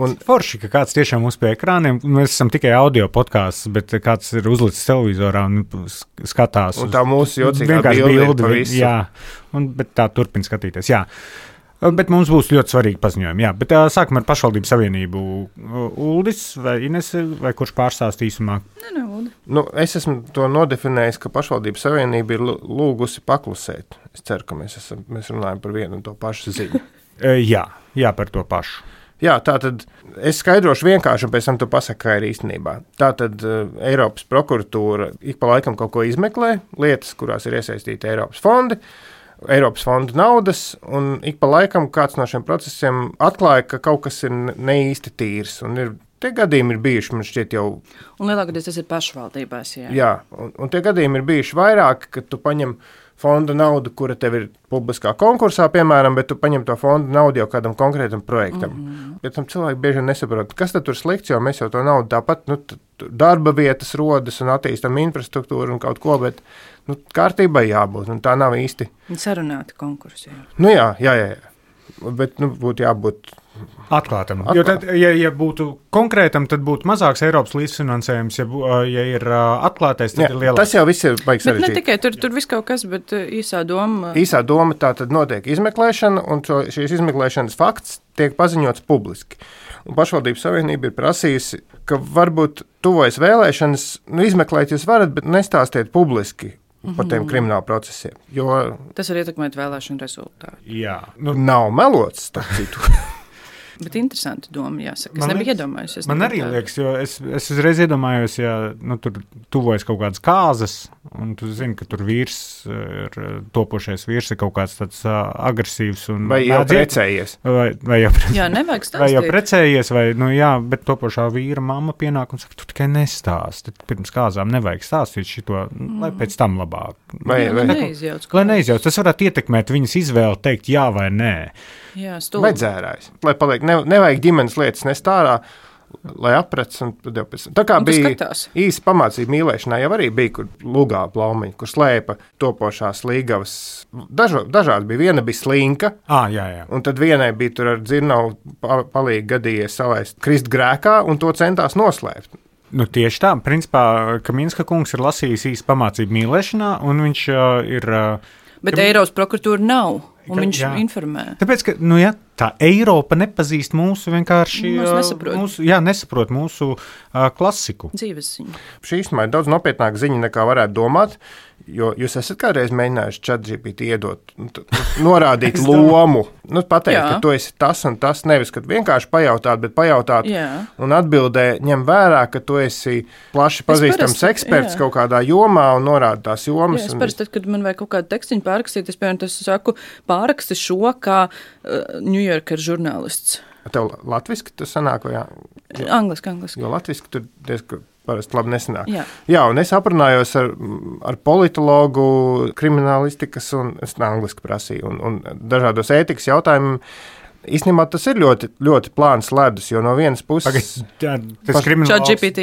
Un forši, ka kāds tiešām uz pie ekrāniem, mēs esam tikai audio podkāsts, bet kāds ir uzlicis televizorā un skatās. Un tā mūsu jocīgā bilde pa visu. Jā, bet tā turpina skatīties, jā. Bet mums būs ļoti svarīgi paziņojumi, jā. Bet sākam ar pašvaldību savienību. Uldis vai Inese, vai kurš pārstāst īsumā? Nē, Uldi. Es esmu to nodefinējis, ka pašvaldību savienība ir lūgusi paklusēt. Es ceru, ka mēs runājam par vienu un to pašu ziņu. Jā, par to pašu. Jā, tātad es skaidrošu vienkārši, un pēc tam tu pasaki, kā ir īstenībā. Tātad Eiropas prokuratūra ik pa laikam kaut ko izmeklē, lietas, kurās ir iesaistīti Eiropas fondu naudas, un ik pa laikam kāds no šiem procesiem atklāja, ka kaut kas ir neīsti tīrs, un tie gadījumi ir bijuši, man šķiet jau... Un lielākoties tas ir pašvaldībās, jā. Jā, un tie gadījumi ir bijuši vairāk, kad tu paņem fonda naudu, kura tev ir publiskā konkursā, piemēram, bet tu paņem to fonda naudu jau kādam konkrētam projektam. Bet tam cilvēki bieži vien nesaprot, kas tad tur slikts, jo mēs jau to naudu tāpat, darba vietas rodas un attīstam infrastruktūru un kaut ko, bet kārtībai jābūt, un tā nav īsti. Sarunāti konkursi, jā. Jā. Bet būtu jābūt atklātam. Jo tad, ja būtu konkrētam, tad būtu mazāks Eiropas līdzfinansējums, ja ir atklātais, tad ir lielāks. Tas jau viss ir baigi sarežģīti. Bet ne tikai tur viss kaut kas, bet īsā doma. Īsā doma tā tad notiek izmeklēšana, un šīs izmeklēšanas fakts tiek paziņots publiski. Un pašvaldības savienība ir prasījusi, ka varbūt tuvojas vēlēšanas, izmeklēt jūs varat, bet nestāstiet publiski par tiem kriminālu procesiem. Jo tas var ietekmēt vēlēšanu rezultātu. Jā. Nav melots, starp citu. Bet interesanti doma, jāsaka. Es nebiju iedomājusies. Man arī liekas, jo es uzreiz iedomājos, ja tur tuvojas kaut kādas kāzas, un tu zini, ka tur topošais vīrs ir kaut kāds tāds agresīvs. Vai jau precējies. Jā, nevajag stāstīt. Vai jau precējies, bet topošā vīra mamma pienāk un saka, tu tikai nestāsti. Pirms kāzām nevajag stāstīt šito, lai pēc tam labāk. Lai neizjauc. Tas varētu ietekmēt viņas izvēli teikt jā vai nē. Jā, vai dzērājs. Lai paliek, nevajag ģimenes lietas nest ārā, lai aprec. Tā kā bija īsa pamācība mīlēšanā, jau arī bija, kur lugā plaumiņi, kur slēpa topošās līgavas. Dažādi bija. Viena bija slinka, jā. Un tad vienai bija tur ar dzirnavu palīgi gadījies salaist krist grēkā, un to centās noslēpt. Tieši tā. Principā, Kaminska kungs ir lasījis īsa pamācību mīlēšanā, un viņš ir... Bet Eiropas prokuratūra nav, un viņš informē. Tāpēc, ka, tā Eiropa nepazīst mūsu vienkārši... nesaprot mūsu klasiku. Dzīves ziņu. Šī īstenībā ir daudz nopietnāka ziņa, nekā varētu domāt, jo jūs esat kādreiz mēģinājuši ChatGPT iedot, norādīt lomu, pateikt, ka tu esi tas un tas, nevis, ka vienkārši pajautāt, bet pajautāt un atbildē ņem vērā, ka tu esi plaši pazīstams eksperts kaut kādā jomā un norāda tās jomas. Es parasti, kad man vajag kaut kādu tekstiņu pārrakstīt, es piemēram, saku, pārraksti šo kā New Yorker žurnālists. Tev latviski tas sanāk vai jā? Angliski. Jo latviski tur diezgan parasti labi nesanāk. Jā, un es aprunājos ar politologu, kriminālistikas, un es angliski prasīju, un dažādos ētikas jautājumiem. Īstenībā tas ir ļoti, ļoti plāns ledus, jo no vienas puses... Tas krimināls...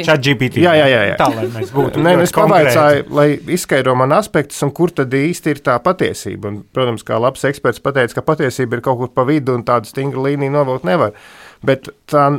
ChatGPT. Jā. Tā, lai mēs būtu es pavaicāju, lai izskaidro man aspektus, un kur tad īsti ir tā patiesība. Un, protams, kā labs eksperts pateica, ka patiesība ir kaut kur pa vidu, un tādu stingru līniju novilkt nevar. Bet tā...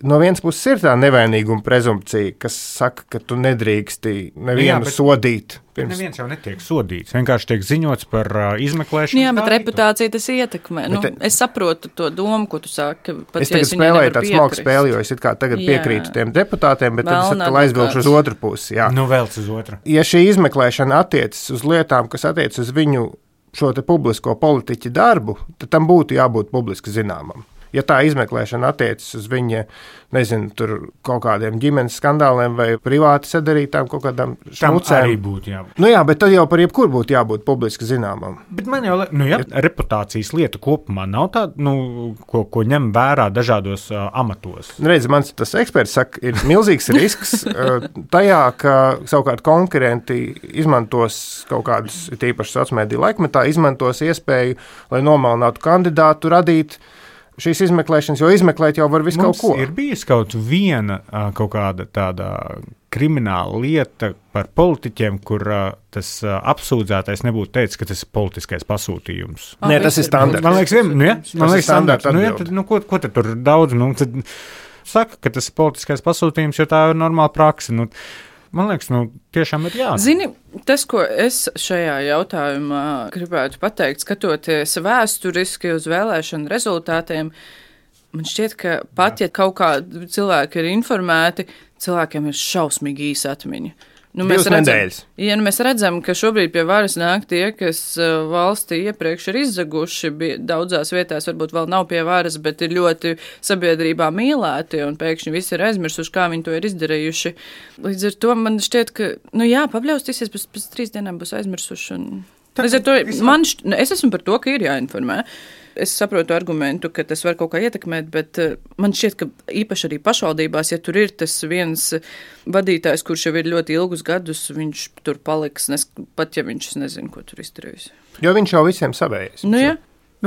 No vienas puses ir tā nevainīguma prezumpcija, kas saka, ka tu nedrīksti nevienu sodīt. Neviens jau netiek sodīts, vienkārši tiek ziņots par izmeklēšanu. Jā, bet reputācija tas ietekmē. Es saprotu to domu, ko tu saki. Es tagad spēlēju tādu smalku spēli, jo es tagad piekrītu tiem deputātiem, bet tad es atkal aizvilkšu uz otru pusi. Jā. Velc uz otru. Ja šī izmeklēšana attiecas uz lietām, kas attiecas uz viņu šo te publisko politiķu darbu, tad tam būtu jābūt publiski zināmam. Ja tā izmeklēšana attiecas uz viņa, nezinu, tur kaut kādiem ģimenes skandāliem vai privāti sadarītām kaut kādām šmucēm. Tam arī būtu jābūt. Nu jā, bet tad jau par jebkuru būtu jābūt publiski zināmam. Bet man jau, reputācijas lieta kopumā nav tāda, ko ņem vērā dažādos amatos. Redz, mans tas eksperts saka, ir milzīgs risks tajā, ka savukārt konkurenti izmantos kaut kādus, tīpaši sociālmediju laikmetā, izmantos iespēju, lai nomalinātu kandidātu, radīt šīs izmeklēšanas, jo izmeklēt jau var visu kaut ko. Ir bijis kaut viena kaut kāda tāda krimināla lieta par politiķiem, kur tas apsūdzētais nebūtu teicis, ka tas ir politiskais pasūtījums. Nē, tas ir standarts. Man liekas, standarts. Ko tad tur daudz? Tad saka, ka tas ir politiskais pasūtījums, jo tā ir normāla praksa. Man liekas, tiešām ir jā. Zini, tas, ko es šajā jautājumā gribētu pateikt, skatoties vēsturiski uz vēlēšanu rezultātiem, man šķiet, ka pat, ja kaut kādi cilvēki ir informēti, cilvēkiem ir šausmīgi īsa atmiņa. Mēs redzam, ka šobrīd pie varas nāk tie, kas valstī iepriekš ir izzaguši, daudzās vietās varbūt vēl nav pie varas, bet ir ļoti sabiedrībā mīlēti, un pēkšņi visi ir aizmirsuši, kā viņi to ir izdarījuši. Līdz ar to man šķiet, ka, pabļaustīsies, pēc 3 dienām būs aizmirsuši. Līdz ar to es esmu par to, ka ir jāinformē. Es saprotu argumentu, ka tas var kaut kā ietekmēt, bet man šķiet, ka īpaši arī pašvaldībās, ja tur ir tas viens vadītājs, kurš jau ir ļoti ilgus gadus, viņš tur paliks, pat ja viņš nezina, ko tur izdarījis. Jo viņš jau visiem savējais. Jā.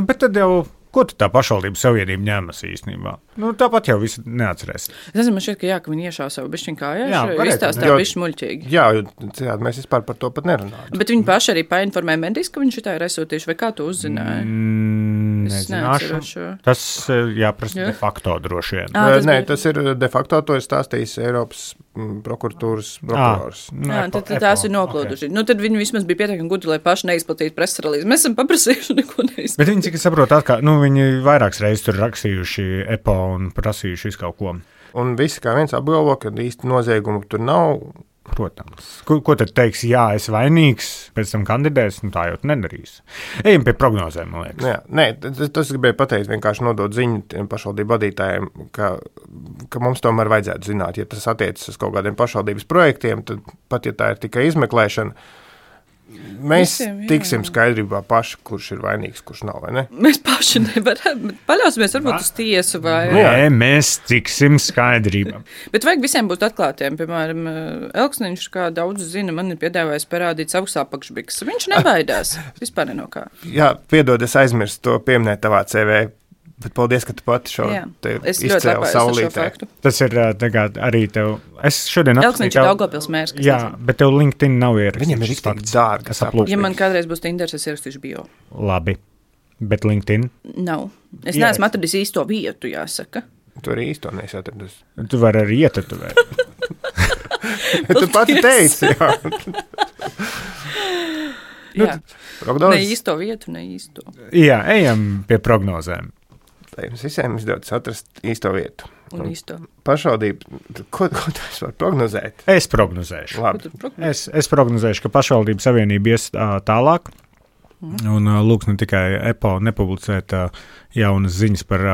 Bet tad jau, ko tā pašvaldības savienība ņemas īstenībā? Tāpat jau visi neatcerēs. Es nezinu, man šķiet, ka viņi iešā savu bišķiņu kājā, izstāstā bišķi muļķīgi. Jā, mēs vispār par to pat nerunājam. Bet viņi paši arī painformēja medijas, ka viņš tā ir aizsūtījuši, vai kā to uzzināja? Nezināšu. Tas jāprasa de facto droši vien. Nē, tas ir de facto, to ir stāstījis Eiropas prokuratūras prokurors. Tad tās ir noplūduši. Tad viņi vismaz bija pietiekami gudri, lai paši neizplatītu preses relīzi. Mēs esam paprasījuši, neko neizplatījuši. Bet viņi, cik es saprotu, viņi vairākas reizes tur rakstījuši EPO un prasījuši visu kaut ko. Un visi kā viens apgalvo, ka īsti noziegumu tur nav. Protams. Ko tad teiks, jā, es vainīgs, pēc tam kandidēs, tā jau nedarīs. Ejam pie prognozēm, man liekas. Jā, nē, tas gribēju pateikt, vienkārši nodot ziņu tiem pašvaldību vadītājiem, ka mums tomēr vajadzētu zināt, ja tas attiecas uz kaut kādiem pašvaldības projektiem, tad pat, ja tā ir tikai izmeklēšana, mēs tiksim skaidrībā paši, kurš ir vainīgs, kurš nav, vai ne? Mēs paši nevaram, paļausimies varbūt uz tiesu vai... Nē, mēs tiksim skaidrībā. Bet vajag visiem būt atklātiem, piemēram, Elksniņš, kā daudz zina, man ir piedāvājis parādīt savus apakšbiks. Viņš nebaidās, vispār ne no kā. Jā, piedod, es aizmirstu to pieminēt tavā CV. Bet paldies, ka tu pati šo izcēli saulītē. Tas ir arī tev. Es šodien Elksniņš ir Daugavpils mērs. Jā, bet tev LinkedIn nav ierakstīts. Viņam ir izteikti dārgi. Ja man kādreiz būs Tinders, es ierakstīšu bio. Labi, bet LinkedIn? Nav. Es neesmu atradis īsto vietu, jāsaka. Tu arī īsto neesi atradis. Tu vari arī ietatuvēt. Tu pati teici, jā. Jā. Ne īsto vietu, ne īsto. Jā, ejam pie prognozēm. Lai mums visiem izdodas atrast īsto vietu. Un īsto. Pašvaldība, ko tu vari prognozēt? Es prognozēšu. Labi. Es prognozēšu, ka pašvaldību savienība ies tālāk. Un lūks ne tikai EPO nepublicēt jaunas ziņas par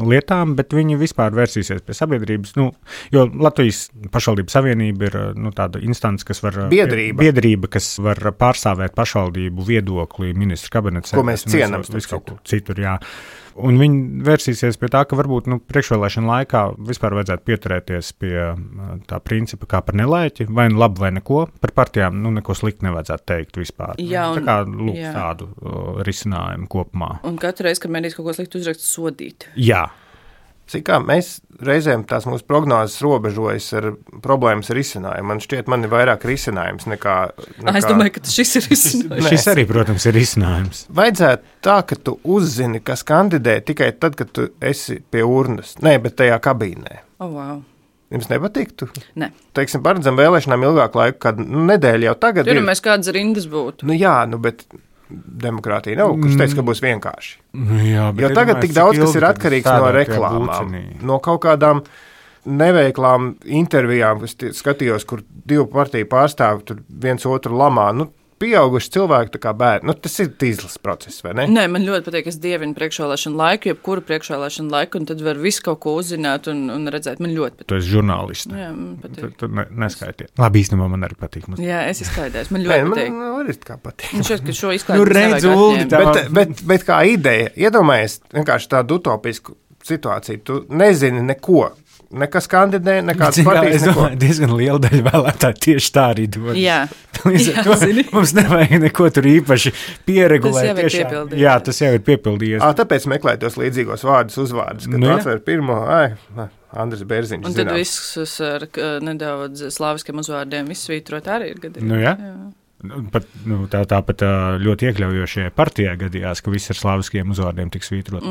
lietām, bet viņi vispār vērsīsies pie sabiedrības. Jo Latvijas pašvaldību savienība ir tāda instance, kas var... Biedrība, kas var pārstāvēt pašvaldību viedokli ministru kabinetā. Ko mēs cienam. Citur, jā. Un viņi vērsīsies pie tā, ka varbūt priekšvēlēšana laikā vispār vajadzētu pieturēties pie tā principa kā par nelaiķi, vai nu labi vai neko. Par partijām neko slikti nevajadzētu teikt vispār. Jā, tā kā tādu risinājumu kopumā. Un katru reizi, kad mēdīs kaut ko slikti uzrakst, sodīt. Jā. Cik kā mēs reizēm tās mūsu prognozes robežojas ar problēmas risinājumu. Man šķiet, man ir vairāk risinājums nekā... Es domāju, ka šis ir risinājums. Šis arī, protams, ir risinājums. Vajadzētu tā, ka tu uzzini, kas kandidē tikai tad, kad tu esi pie urnas. Nē, bet tajā kabīnē. Wow. Jums nepatiktu? Nē. Teiksim, paredzam vēlēšanām ilgāku laiku, kad nedēļa jau tagad ir. Mēs kādas rindas būtu. Jā, bet... Demokrātija nav, kurš teica, ka būs vienkārši. Jā, jo tagad tik daudz, kas ir atkarīgs no reklāmām, no kaut kādām neveiklām intervijām, kas skatījos, kur divu partiju pārstāvi tur viens otru lamā. pieauguši cilvēki, tā kā bērni. Nu, tas ir tīzlis process, vai ne? Nē, man ļoti patīk, es dievinu priekšvēlēšanu laiku, jebkuru priekšvēlēšanu laiku, un tad var visu kaut ko uzzināt un redzēt. Man ļoti patīk. Tu esi žurnālists. Jā, man patīk. Tu neskaitiet. Labi, īstenībā man arī patīk. Jā, es izklaidēs. Man ļoti patīk. Man arī kā patīk. Man šķiet, ka šo izklaidēs Bet kā ideja, iedomājies vienkārši tādu utopisku situāciju. Tu nezini neko. Nekas kandidē, nekādas partijas. Es domāju, diezgan liela daļa vēlētāji tieši tā arī dod. Jā. Mums nevajag neko tur īpaši pieregulēt. Tas jau ir piepildījies. Jā, tas jau ir piepildījies. Tāpēc meklēt tos līdzīgos uzvārdus, kad atver pirmo, Andris Bērziņš. Un tad visus ar nedaudz slāviskiem uzvārdiem izsvītrot arī ir gadījumi. Jā. Pat, tāpat ļoti iekļaujošajai partijai gadījās, ka viss ar slāviskiem uzvārdiem tiks svītrot.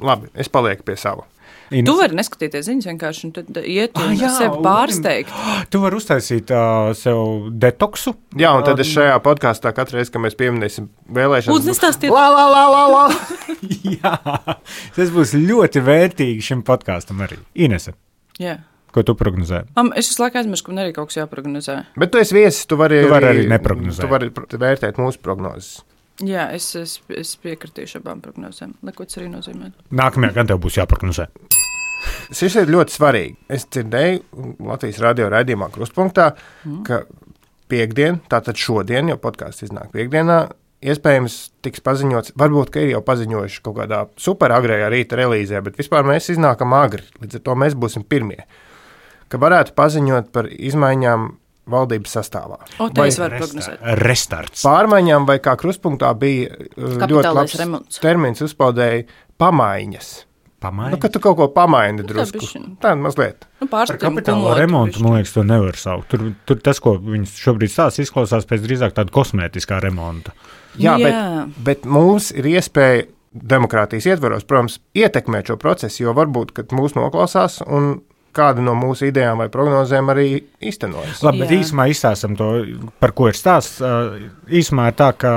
Labi, es palieku pie sava. Tu vari neskatīties ziņas vienkārši un tad iet un sevi pārsteigt. Tu vari uztaisīt sev detoksu. Jā, un tad es šajā podkāstā katru reizi, kad mēs pieminēsim vēlēšanas. Lūdzu, nestāstiet. La. Jā, tas būs ļoti vērtīgi šim podkāstam arī. Inese. Jā. Ko tu prognozē? Es visu laiku aizmirstu, ka man arī kaut kas jāprognozē. Bet tu esi viesis, tu vari arī neprognozēt. Tu vari vērtēt mūsu prognozes. Jā, es piekritīšu abām prognozēm, lai ko tas arī nozīmē. Nākamajā gan tev būs jāprognozē. Šis ir ļoti svarīgi. Es dzirdēju Latvijas radio raidījumā Krustpunktā, ka piekdien, tātad šodien, jo podkāsts iznāk piekdienā, iespējams tiks paziņots, varbūt, ka ir jau paziņojuši kaut kādā super agrējā rīta relīzē, bet vispār mēs iznākam agri, līdz ar to mēs būsim pirmie, ka varētu paziņot par izmaiņām valdības sastāvā. Tā es varu prognozēt. Restarts. Pārmaiņām vai kā Krustpunktā bija ļoti labs termins uzpaudēja pamaiņas. Pamaini? Kad tu kaut ko pamaini drusku. Tā mazliet. Par kapitāla remontu, man liekas, to nevar saukt. Tur tas, ko viņas šobrīd stāsta, izklausās pēc drīzāk tāda kosmētiskā remonta. Jā. Bet mums ir iespēja demokrātijas ietvaros, protams, ietekmēt šo procesu, jo varbūt, kad mūs noklausās un kāda no mūsu idejām vai prognozēm arī īstenojas. Labi, bet īsumā izstāstam to, par ko ir stāsts. Īsumā ir tā, ka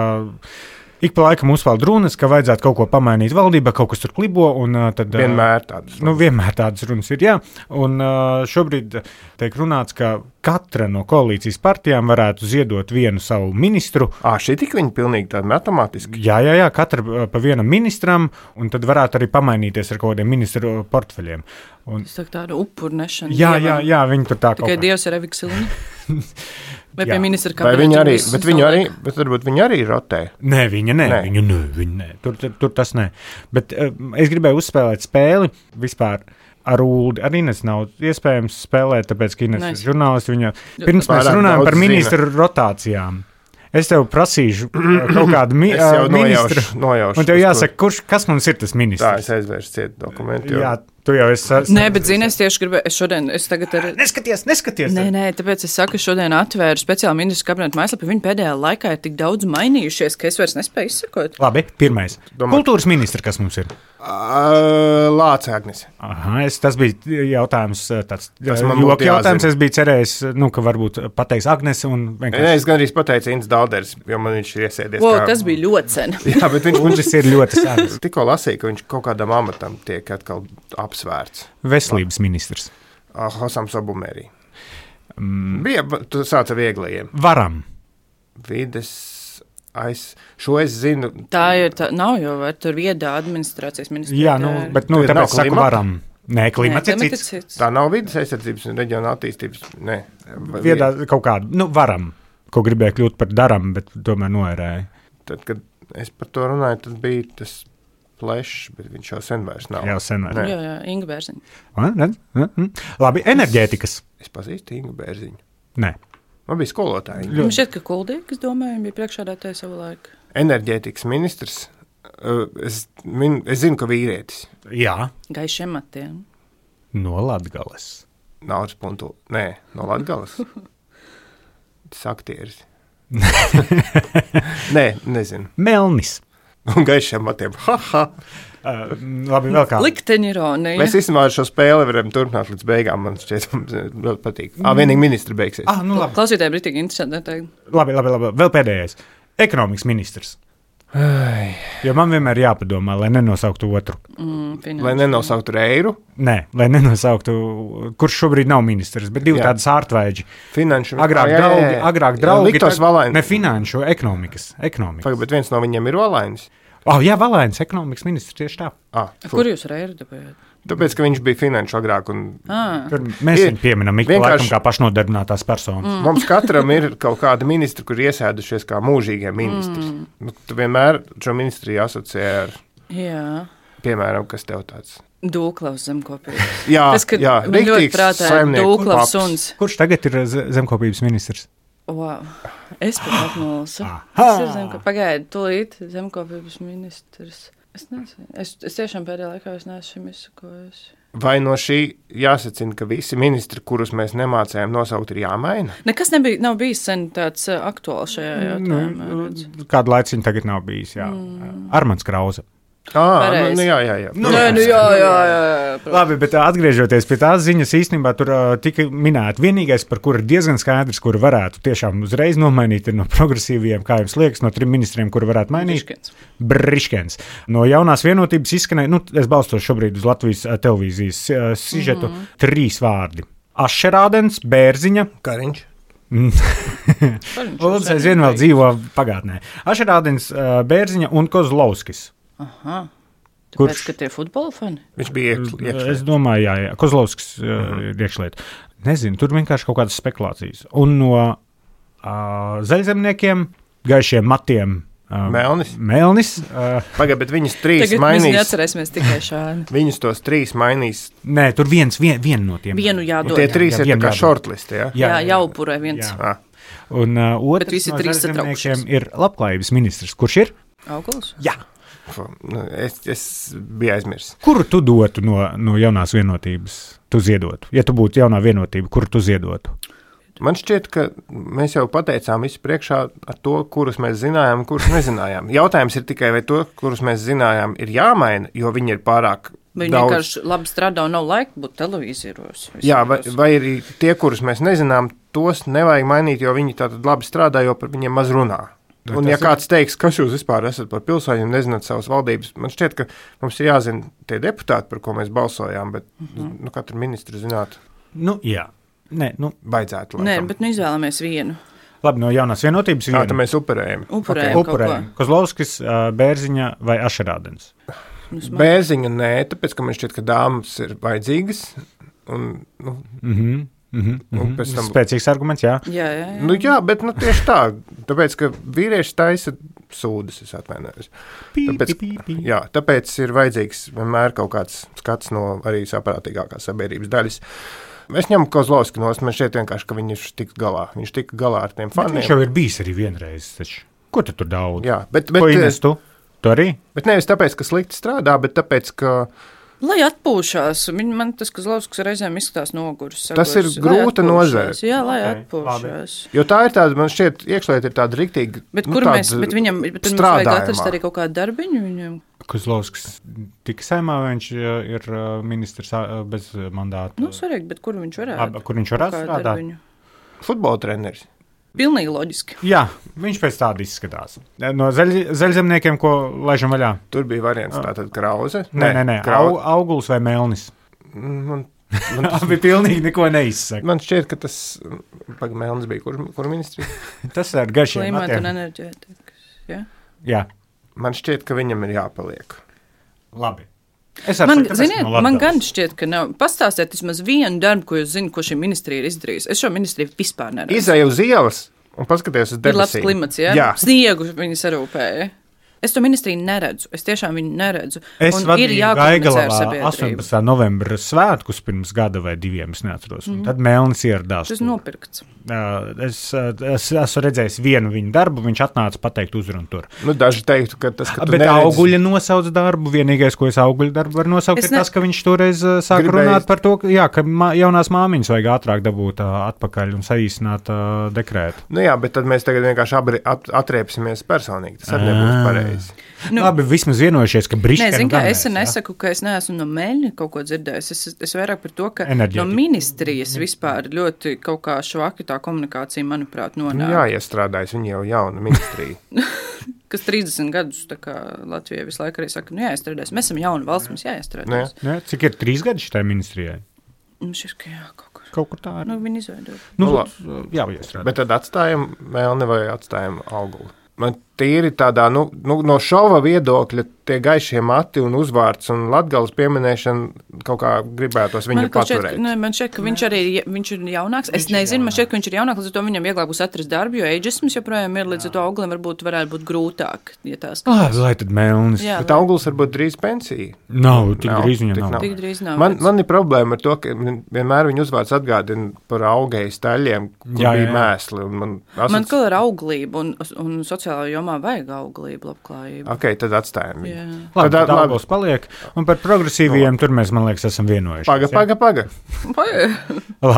ik pa laikam uzpeld runas, ka vajadzētu kaut ko pamainīt valdībā, kaut kas tur klibo. Tad, vienmēr tādas runas. Vienmēr tādas runas ir, jā. Un šobrīd tiek runāts, ka katra no koalīcijas partijām varētu ziedot vienu savu ministru. Šī tik viņa pilnīgi tāda matemātiski? Jā, katra pa vienam ministram, un tad varētu arī pamainīties ar kaut kādiem ministru portfeļiem. Tas tā tāda upurnešana. Jā, viņi tur tā kaut kā. Tikai Dievs ir Eviksiliņa. Vai pie ministra kabineta? Bet varbūt viņi arī rotē. Nē, viņa nē. Tur tas nē. Bet es gribēju uzspēlēt spēli vispār. Ar Uldi arī nav iespējams spēlēt, tāpēc, ka Ines ir žurnālisti. Pirms mēs runājam par ministru rotācijām. Es tev prasīšu kaut kādu ministru. Nojaušu. Un tev jāsaka, kas mums ir tas ministrs? Tā, es aizvēršu ciet dokumentu. Jā, tu jau esi. Nē, bet zini, es tieši gribēju, es tagad arī. Neskaties! Nē, tāpēc es saku, šodien atvēru speciāli ministru kabineta mājaslapu. Viņi pēdējā laikā ir tik daudz mainījušies, ka es vairs nespēju izsekot. Labi, pirmais. Kultūras ministra, kas mums ir? Lāce Agnes. Tas bija jautājums, tāds joku jautājums. Es biju cerējis, ka varbūt pateiks Agnes un vienkārši. Nē, es gandrīz pateicu Ints Dalders, jo man viņš ir iesēdies. Tas bija ļoti sen. Jā, bet viņš ir ļoti sens. Tikko lasīju, ka viņš kaut kādam amatam tiek atkal apsvērts. Veselības ministrs. Hosam Sobumērī. Tu sāc ar vieglajiem. Varam. Vides. Šo es zinu. Tā nav jau tur viedā administrācijas ministrija. Jā, bet tāpēc saku varam. Nē, klimats ir cits. Tā nav vides aizsardzības un reģiona attīstības. Nē. Viedā kaut kādu, varam, ko gribēju kļūt par daram, bet tomēr noērēju. Tad, kad es par to runāju, tad bija tas plešs, bet viņš jau sen vairs nav. Jā, Inga Bērziņa. Labi, enerģētikas. Es pazīstu Ingu Bērziņu. Nē. Man bija skolotāji. Man šķiet, ka Kuldīgs, domāju, bija priekšādātāja savu laiku. Enerģētikas ministrs. Es zinu, ka vīrietis. Jā. Gaišiem matiem. No Latgales. Naudas puntu. Nē, no Latgales. Tas aktieris. Nē, nezinu. Melnis. Un gaišiem matiem. Labi, vēl kā. Likteņa ironija. Mēs īstenībā ar šo spēli varam turpināt līdz beigām. Man šķiet, ļoti patīk. Vienīgi ministri beigsies. Klausītāji, bija tik interesanti. Labi. Vēl pēdējais. Ekonomikas ministrs. Jo man vienmēr jāpadomā, lai nenosauktu otru. Lai nenosauktu Reiru? Nē, lai nenosauktu, kurš šobrīd nav ministrs, bet divi tādi sārtvēģi. Finanšu. Agrāk draugi. Liktos Valainis. Ne finanšu, ekonomikas. Pagaid, bet viens no viņiem ir Valainis. Jā, Valainis, ekonomikas ministrs tieši tā. Kur jūs Reiru dabējāt? Tāpēc, ka viņš bija finanšu agrāk. Mēs viņu pieminam laikam kā pašnodarbinātās personas. Mums katram ir kaut kāda ministra, kur iesēdušies kā mūžīgie ministri. Tu vienmēr šo ministriju asociē ar, piemēram, kas tev tāds? Dūklavs zemkopības. Jā, riktīgs saimnieku Dūklavs suns. Kurš tagad ir zemkopības ministrs? Wow. Es pat atnolsu. Pagaidi, tūlīt zemkopības ministrs. Es nezinu. Es tiešām pēdējā laikā neesmu šim izsakojusi. Vai no šī jāsacina, ka visi ministri, kurus mēs nemācējām nosaukt, ir jāmaina? Nekas nav bijis sen tāds aktuāls šajā jautājumā. Kādu laiciņu tagad nav bijis, jā. Armands Krauze. Jā. Labi, bet atgriežoties pie tās ziņas, īstenībā tur tika minēta vienīgais, par kuru ir diezgan skaidrs, kuru varētu tiešām uzreiz nomainīt, ir no progresīviem, kā jums liekas, no 3 ministriem, kuru varētu mainīt. Briškens. No jaunās vienotības izskanēja, es balstos šobrīd uz Latvijas televīzijas sižetu, 3 vārdi. Ašerādens, Bērziņa, Kariņš. Lūdzu, aizvien vēl dzīvo pagātnē. Ašerādens, Bērziņa un Kozlovskis. Kurš? Ka tie futbola fani? Viņš bija iekšliet. Es domāju, jā. Kozlovskis ir iekšliet. Nezinu, tur vienkārši kaut kādas spekulācijas. Un no zaļzemniekiem, gaišiem matiem. Melnis. Pagaid, bet viņus 3 Tagad mainīs. Tagad mēs neatcerēsimies tikai šādi. Viņus tos 3 mainīs. Nē, tur vienu no tiem. Vienu jādod. Un tie 3 ir tā kā shortlist, jā? Jā, jāupurē viens. Jā. Un otrs no zaļzemniekiem ir labklājības ministrs. Kurš ir? Auguls? Jā. Es biju aizmirsis. Kuru tu dotu no jaunās vienotības? Tu ziedotu. Ja tu būtu jaunā vienotība, kuru tu ziedotu? Man šķiet, ka mēs jau pateicām visu priekšā ar to, kurus mēs zinājām un kurus nezinājām. Jautājums ir tikai, vai to, kurus mēs zinājām, ir jāmaina, jo viņi ir pārāk Viņi vienkārši labi strādā un nav laika būt televīzieros. Jā, vai arī tie, kurus mēs nezinām, tos nevajag mainīt, jo viņi tātad labi strādā, jo par viņiem maz runā. Un ja kāds teiks, kas jūs vispār esat par pilsēņu un nezināt savas valdības, man šķiet, ka mums ir jāzina tie deputāti, par ko mēs balsojām, bet katru ministru zināt. Jā. Vajadzētu. Nē, bet izvēlamies vienu. Labi, no jaunās vienotības vienu. Tad mēs upurējam. Upurējam. Kozlovskis, Bērziņa vai Ašerādens? Bērziņa nē, tāpēc, ka man šķiet, ka dāmas ir vajadzīgas. Spēcīgs arguments, jā. Jā, bet tieši tā. Tāpēc, ka vīrieši taisa sūdas, es atvainojos. Tāpēc ir vajadzīgs vienmēr kaut kāds skats no arī saprātīgākās sabiedrības daļas. Es ņemu Kozlovski nost, man šķiet vienkārši, ka viņš tika galā ar tiem faniem. Viņš jau ir bijis arī vienreiz, taču. Ko tu tur daudz? Jā, bet ko Ines tu? Tu arī? Bet nevis tāpēc, ka slikti strādā, bet tāpēc, ka lai atpūšās. Man tas Kozlovskis reizēm izskatās noguris. Tas ir grūta nozare. Jā, lai atpūšās. Jo tā ir tāda, man šķiet, iekšliet ir tāda riktīga. Bet kur mēs, bet viņam vajag atrast arī kaut kādu darbiņu viņam? Kozlovskis tika saimā, viņš ir ministrs bez mandāta. Svarīgi, bet kur viņš varētu? Kur viņš varētu strādāt? Futbola treneris. Pilnīgi loģiski. Jā, viņš pēc tāda izskatās. No zaļzemniekiem, ko laižam vaļā? Tur bija variants tātad Krauze. Nē. Auguls vai Melnis? Man bija pilnīgi neko neizsaka. Man šķiet, ka tas Melnis bija kur ministrija? Tas ir garšiem matiem. Klimata un enerģētikas, jā. Man šķiet, ka viņam ir jāpaliek. Labi. Man gan šķiet, ka nav. Pastāstiet vismaz vienu darbu, ko jūs zināt, ko šī ministrija ir izdarījusi. Es šo ministriju vispār neredzu. Izēju uz ielas un paskaties uz debesīm. Ir labs klimats, jā? Sniegu viņi sarūpēja. Es to ministriju neredzu. Es tiešām viņu neredzu. Es vadīju Gaigalavā 18. novembra svētkus pirms gada vai 2, es neatceros. Tad Melnis ieradās. Tas nopirkts. Es esmu redzējis vienu viņa darbu, viņš atnāca pateikt uzrunu tur. Daži teiktu, ka tas, ka tu bet neredzi. Auguļa nosauc darbu, vienīgais, ko es Auguļa darbu varu nosaukt, ir tas, ka viņš toreiz sāk runāt par to, ka jaunās māmiņas vajag ātrāk dabūt atpakaļ un saīsināt dekrētu. Jā, bet tad mēs tagad vienkārši atriepsimies personīgi. Tas arī nebūs pareizi. Labi, vismaz vienojušies, ka Briškens. Es nesaku, ka es neesmu no Meļņa kaut ko dzirdējis. Es vairāk par to, ka no ministrijas vispār ļoti kaut kā švaki tā komunikācija, manuprāt, nonāk. Jā, iestrādājas, viņi jau jauna ministrija. kas 30 gadus Latvijai visu laiku arī saka, jāiestrādās. Mēs esam jauna valsts, mums jāiestrādās. Ne, cik ir 3 gadi šitai ministrijai? Šis, ka jā, kaut kur tā ir. Viņi izveidot. Jāiestrādās. Bet tad atstājam Melni vai atstājam Auguli? Man tīri tādā, no šova viedokļa tie gaišie mati un uzvārds un Latgales pieminēšana kaut kā gribētos viņu paturēt. Man šķiet, ka viņš ir jaunāks. Es nezinu, man šķiet, ka viņš ir jaunāks, līdz ar to viņam vieglāk būs atrast darbu, jo ageisms joprojām ir, līdz ar to Augulim varētu būt grūtāk, ja tās skatās. Lai tad Melnis. Bet Auguls varbūt drīz pensija. Nav, tik drīz viņam nav. Tik drīz nav. Man ir problēma ar to, ka vienmēr viņu uzvārds atgādina par augējas taļiem, kur bija mēsli. Man kā ar auglību un sociālā jomā vajag auglību, labklājību. Ok, tad atstājam viņu. Labi, tad Auguls paliek. Un par progresīviem tur mēs, man liekas, esam vienojušies. Paga.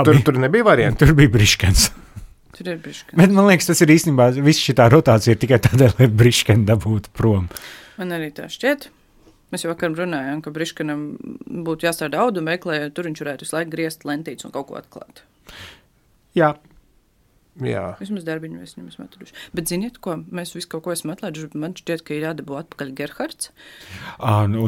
Tur nebija varianti. Tur bija Briškens. Tur ir Briškens. Bet man liekas, tas ir īstenībā, viss šitā rotācija ir tikai tādēļ, lai Briškeni dabūtu prom. Man arī tā šķiet. Mēs jau vakar runājām, ka Briškenam būtu jāstrādā auduma veiklē, tur viņš varētu visu laiku griezt lentītes un kaut ko atklāt. Jā. Vismaz darbiņu mēs viņam esam atraduši. Bet ziniet, ko? Mēs visu kaut ko esam atlaiduši, bet man šķiet, ka ir jādabū atpakaļ Gerhards.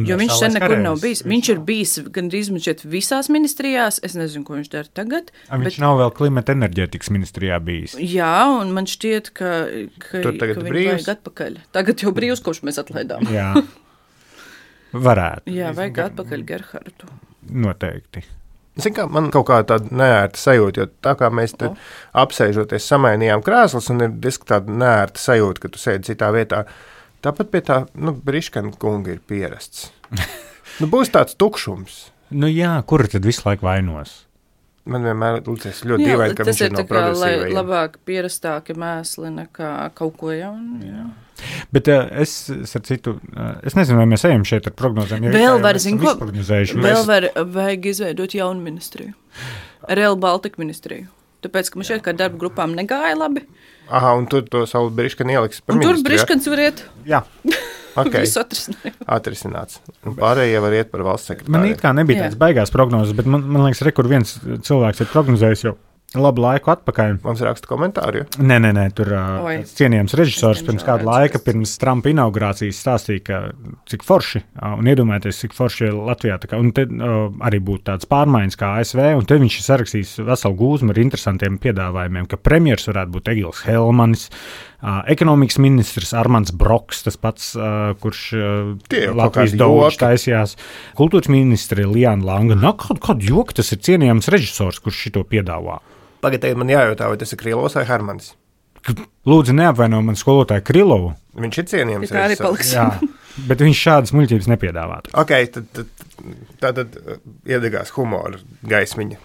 Jo viņš sen nekur nav bijis. Viņš ir bijis gandrīz man šķiet visās ministrijās. Es nezinu, ko viņš dara tagad. Viņš nav vēl klimata enerģētikas ministrijā bijis. Jā, un man šķiet, ka viņu vajag atpakaļ. Tagad jau brīvs, kopš mēs atlaidām. Jā. Varētu. Jā, vajag atpakaļ Gerhardu. Noteikti. Man kaut kā tāda neērta sajūta, jo tā kā mēs te apsēžoties samainījām krēslus un ir diezgan tāda neērta sajūta, ka tu sēdi citā vietā. Tāpat pie tā, Briškena kunga ir pierasts. Būs tāds tukšums. Jā, kur tad visu laiku vainos? Man vienmēr liekas ļoti dīvaini, ka viņš ir no progresīvajiem. Tas ir labāk pierastāki mēsli nekā kaut ko jaunu. Jā. Bet es nezinu, vai mēs ejam šeit ar prognozēm. Vēl vajag izveidot jaunu ministriju. Real Baltica ministriju. Tāpēc, ka man šeit kā darba grupām negāja labi. Aha, un tur to savu Briškeni ieliks par ministriju. Un tur Briškens var iet. Jā. Okay. Visu atrisināts. Un pārējie var iet par valsts sekretāru. Man it kā nebija tāds baigās prognozes, bet man liekas, kur viens cilvēks ir prognozējis jau labu laiku atpakaļ. Mums raksta komentāri. Nē, tur cienījams režisors pirms kāda laika, pirms Trumpa inaugurācijas stāstīja, cik forši, un iedomājieties, cik forši ir Latvijā. Un te arī būtu tāds pārmaiņas kā ASV, un te viņš ir sarakstījis veselu gūzmu ar interesantiem piedāvājumiem, ka premjers varētu būt Egils Helmanis, ekonomikas ministrs Armands Broks, tas pats, kurš Latvijas daudz taisījās, kultūras ministri Liana Langa. Kādu joku tas ir cienījams režisors, kurš šito piedāvā? Pagaidiet, man jājautā, vai tas ir Krilovs vai Hermanis? Lūdzu, neapvaino man skolotāju Krilovu. Viņš ir cienījams režisors. Jā, bet viņš šādas muļķības nepiedāvātu. Ok, tad iedegās humora gaismiņa.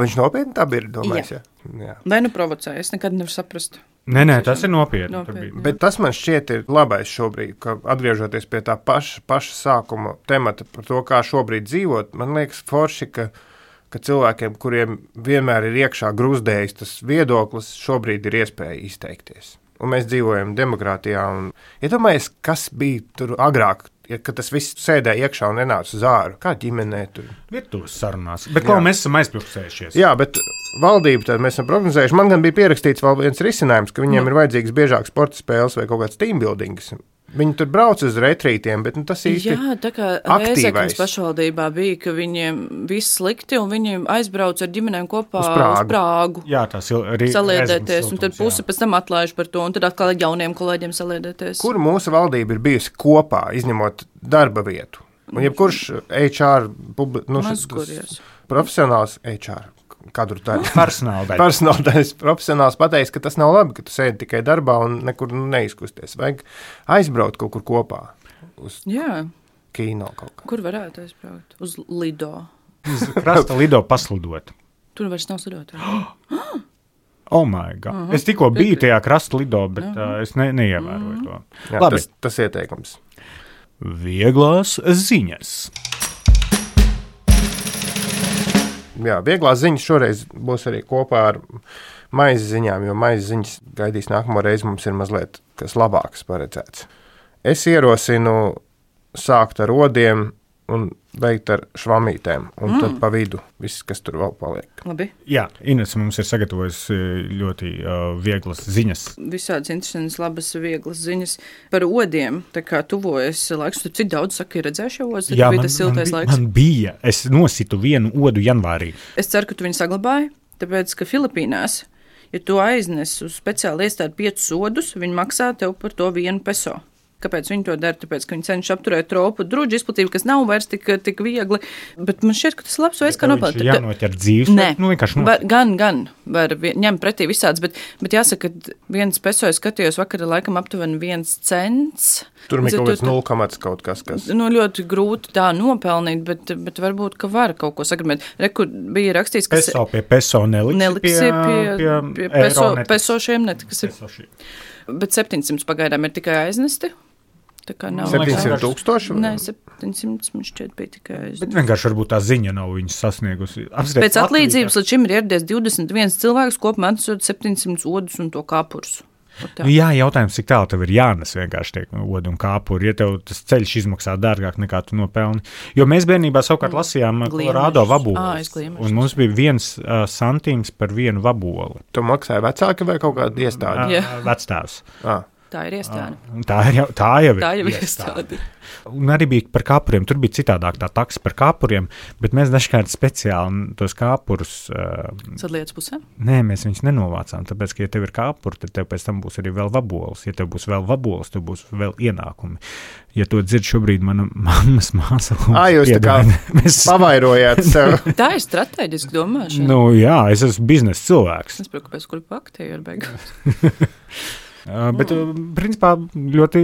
Viņš nopietni tā bija, domājis? Jā. Vai provocēja? Es nekad nevaru saprast. Nē, tas ir nopietni. Bet tas man šķiet ir labais šobrīd, ka atgriežoties pie tā paša sākuma temata par to, kā šobrīd dzīvot, man liekas forši, ka cilvēkiem, kuriem vienmēr ir iekšā grūzdējis tas viedoklis, šobrīd ir iespēja izteikties. Un mēs dzīvojam demokrātijā. Iedomājies, kas bija tur agrāk, kad tas viss sēdēja iekšā un nenāca uz āru. Kā ģimenē tur? Virtuves sarunās. Bet ko mēs esam aizpļuksējušies? Jā, bet valdību tad mēs esam prognozējuši. Man gan bija pierakstīts vēl viens risinājums, ka viņiem ir vajadzīgs biežāk sporta spēles vai kaut kāds teambuildings. Viņi tur brauc uz retrītiem, bet tas īsti jā, tā kā Rēzeknes pašvaldībā bija, ka viņiem viss slikti, un viņi aizbrauc ar ģimenēm kopā uz Prāgu. Jā, tas ir saliedēties, un tad pusi pēc tam atlaiž par to, un tad atkal jauniem kolēģiem saliedēties. Kur mūsu valdība ir bijusi kopā, izņemot darba vietu? Un jebkurš HR, profesionāls HR, kādu tā ir personāldaļas profesionāls pateiks, ka tas nav labi, ka tu sēdi tikai darbā un nekur neizkusties. Vajag aizbraukt kaut kur kopā uz kino kaut kā. Kur varētu aizbraukt? Uz Lido. Uz krasta Lido paslidot. Tur vairs nav slidot. Oh my God. Es tikko biju tajā krasta Lido, bet es neievēroju to. Jā, labi. Tas ieteikums. Vieglās ziņas. Jā, vieglās ziņas šoreiz būs arī kopā ar maizes ziņām, jo maizes ziņas gaidīs nākamo reizi, mums ir mazliet kas labāks paredzēts. Es ierosinu sākt ar odiem un beigt ar švamītēm, un tad pa vidu viss, kas tur vēl paliek. Labi. Jā, Ines mums ir sagatavojusi ļoti vieglas ziņas. Visādas interesantas, labas, vieglas ziņas par odiem. Tā kā tuvojas laiks, tu cik daudz saka, ir redzējuši odas, tad bija tas siltais laiks. Man bija. Es nositu vienu odu janvārī. Es ceru, ka tu viņu saglabāji, tāpēc, ka Filipīnās, ja tu aiznes uz speciāli iestādi 5 odus, viņi maksā tev par to 1 peso. Kāpēc viņi to dara? Tāpēc, ka viņi cenšas apturēt tropu druģu izplatību, kas nav vairs tik viegli. Bet man šķiet, ka tas labs veids, kā nopelnīt. Viņš ir jānoķer dzīves? Nē, vienkārši gan var ņemt pretī visāds, bet jāsaka, ka 1 peso es skatījos vakarā laikam aptuveni 1 cents. Tur bija kaut kāds 0, kaut kas. Nu, ļoti grūti tā nopelnīt, bet varbūt, ka var kaut ko sagribēt. Rekur bija rakstīts, ka peso pie peso neliksi pie peso šiem netiks. Bet 700 pagaidām ir tikai aiznesti. Tā kā nav 700,000? Nē, 700 man šķiet bija tikai aiznesti. Bet vienkārši varbūt tā ziņa nav viņas sasniegusi. Pēc atlīdzības līdz šim ir ieradies 21 cilvēks, kopumā atnesot 700 odus un to kāpurus. Jā, jautājums, cik tālu tev ir jānes vienkārši tiek odi un kāpuri, ja tev tas ceļš izmaksā dārgāk nekā tu nopelni. Jo mēs bērnībā savukārt lasījām Kolorādo vabolus, un mums bija 1 santīms par 1 vabolu. Tu maksāji vecāki vai kaut kāda iestāde? Vecstāvs. Tā ir iestāde. Tā jau ir iestāde. Un arī bija par kāpuriem. Tur bija citādāk tā taksa par kāpuriem, bet mēs dažkārt speciāli tos kāpurus... Sadlietas pusē? Nē, mēs viņus nenovācām, tāpēc, ka, ja tev ir kāpuri, tad tev pēc tam būs arī vēl vabols. Ja tev būs vēl vabols, tev būs vēl ienākumi. Ja to dzird šobrīd mana mammas māsa... Jūs tā kā pavairojāt sev. Tā ir strateģiski domāšana. Nu jā, es esmu biznesa cilvēks. Es saprotu, kāpēc kur paktīju ar beigās. Bet, principā, ļoti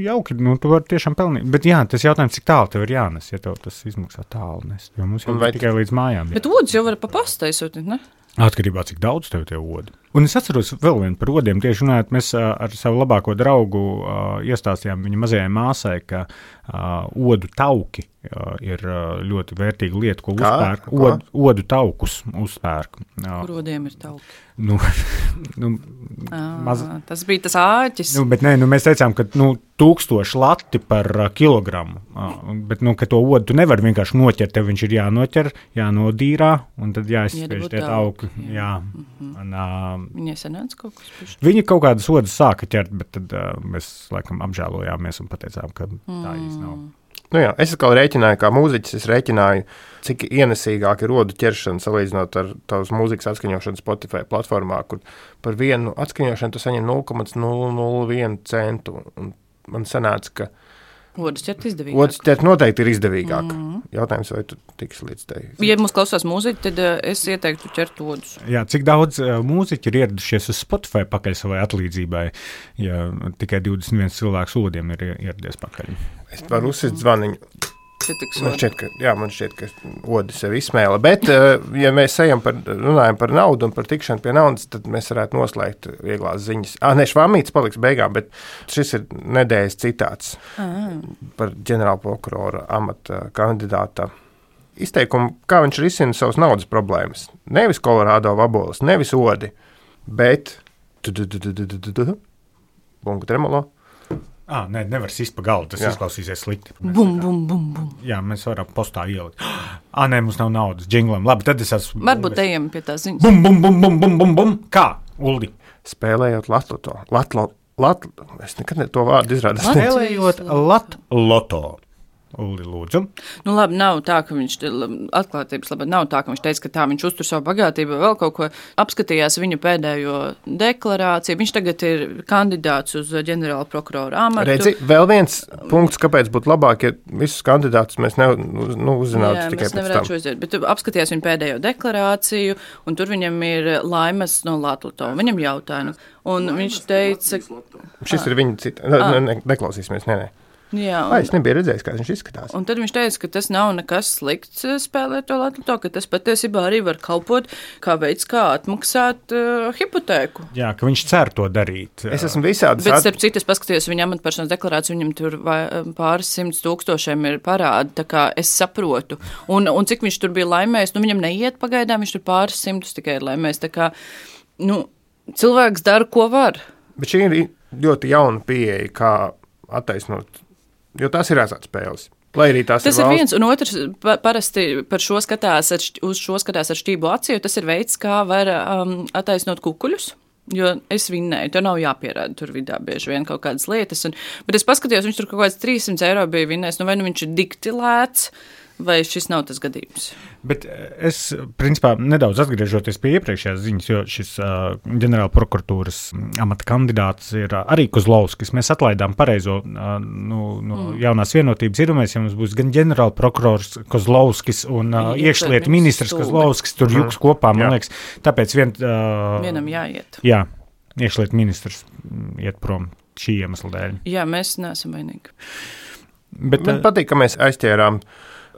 jauki. Tu vari tiešām pelnīt. Bet, jā, tas jautājums, cik tālu tev ir jānes, ja tev tas izmaksā tālu nes. Jo mums jau tikai līdz mājām. Bet odus jau var pa pastu aizsūtīt, ne? Atkarībā, cik daudz tev tie odi. Un es atceros vēl vienu par odiem. Tieši runājot, mēs ar savu labāko draugu iestāstījām viņa mazajai māsai, ka odu tauki ir ļoti vērtīga lieta, ko uzpērk. Odu taukus uzpērk. Kur odiem ir tauki? Tas bija tas āķis. Bet nē, mēs teicām, ka 1000 lati par kilogramu. Bet, ka to odu tu nevari vienkārši noķert. Tev viņš ir jānoķer, jānodīrā, un tad jāizspiež tie tauki. Jā. Viņai sanāca kaut kas pišķi? Viņi kaut kādas odas sāka ķert, bet tad mēs laikam apžēlojāmies un pateicām, ka tā īsti nav. Jā, es atkal rēķināju, kā mūziķis, es rēķināju, cik ienesīgāk ir odu ķeršana salīdzinot ar tavas mūzikas atskaņošanu Spotify platformā, kur par vienu atskaņošanu tu saņem 0,001 centu. Un man sanāca, ka odas ķert izdevīgāk. Odas ķert noteikti ir izdevīgāk. Jautājums, vai tu tiksi līdz tai? Ja mums klausās mūziķi, tad es ieteiktu ķert odus. Jā, cik daudz mūziķi ir ieradušies uz Spotify pakaļ savai atlīdzībai, ja tikai 21 cilvēks odiem ir ieradies pakaļ? Es varu uzsist zvaniņu. Man šķiet, ka odi sev izsmēla, bet, ja mēs runājam par naudu un par tikšanu pie naudas, tad mēs varētu noslēgt vieglās ziņas. Švamīts paliks beigām, bet šis ir nedēļas citāts par ģenerāla prokurora amata kandidāta izteikumu, kā viņš risina savas naudas problēmas. Nevis Kolorādo vabolas, nevis odi, bet bunga tremolo. Nē, nevar sist pa galdu, tas izklausīsies slikti. Bum, bum, bum, bum. Jā, mēs varam postā ielikt. Nē, mums nav naudas džinglam. Labi, tad es esmu... Varbūt ejam pie tās ziņas. Bum, bum, bum, bum, bum, bum, bum. Kā, Uldi? Spēlējot es nekad to vārdu izrādu. Spēlējot latloto. Uldi, lūdzu. Nu labi, nav tā, ka viņš atklātības labā nav tā, ka viņš teica, ka tā viņš uztur savu bagātību, vēl kaut ko apskatījās viņa pēdējo deklarāciju. Viņš tagad ir kandidāts uz ģenerāla prokurora amatu. Redzi, vēl viens punkts, kāpēc būtu labāk, ja visus kandidātus mēs uzzinātu tikai pēc tam. Uzdziet, bet apskatījās viņa pēdējo deklarāciju, un tur viņam ir Laimas no Latloto. Viņam jautāja, un viņš teica... Šis ir viņa cita. Neklausīsimies, nē. Jā, es nebiju redzējis, kā viņš izskatās. Un tad viņš teica, ka tas nav nekas slikts spēlēt to Latloto, ka tas patiesībā arī var kalpot kā veids, kā atmaksāt hipotēku. Jā, ka viņš cer to darīt. Es esmu visādi... Bet starp citu, es paskatījos viņa amatpersonas deklarāciju, viņam tur pāris 100 000 ir parādi, tā kā es saprotu. Un cik viņš tur bija laimējis, viņam neiet pagaidām, viņš tur pāris 100 tikai ir laimējis, tā kā, cilvēks dara, ko var. Bet šī ir ļoti jauna pieeja, kā attaisnot. Jo tās ir azartspēles. Lai arī tas ir viens, un otrs parasti par šo skatās uz šo skatās ar šķību aci, jo tas ir veids, kā var attaisnot kukuļus. Jo es vinnēju, tev nav jāpierāda tur vidā bieži vien kaut kādas lietas. Bet es paskatījos, viņš tur kaut kāds 300 eiro bija vinnējis. Vai nu viņš ir dikti lēts, vai šis nav tas gadījums? Bet es, principā, nedaudz atgriežoties pie iepriekšējās ziņas, jo šis ģenerāla prokuratūras amata kandidāts ir arī Kozlovskis. Mēs atlaidām pareizo jaunās vienotības iedomājamies, ja mums būs gan ģenerāla prokurors Kozlovskis un iekšlietu ministrs Kozlovskis, tur jūks kopā, man liekas. Tāpēc vienam jāiet. Jā, iekšlietu ministrs iet prom šī iemesla dēļ. Jā, mēs neesam vainīgi. Bet man patīk, ka mēs aizķērām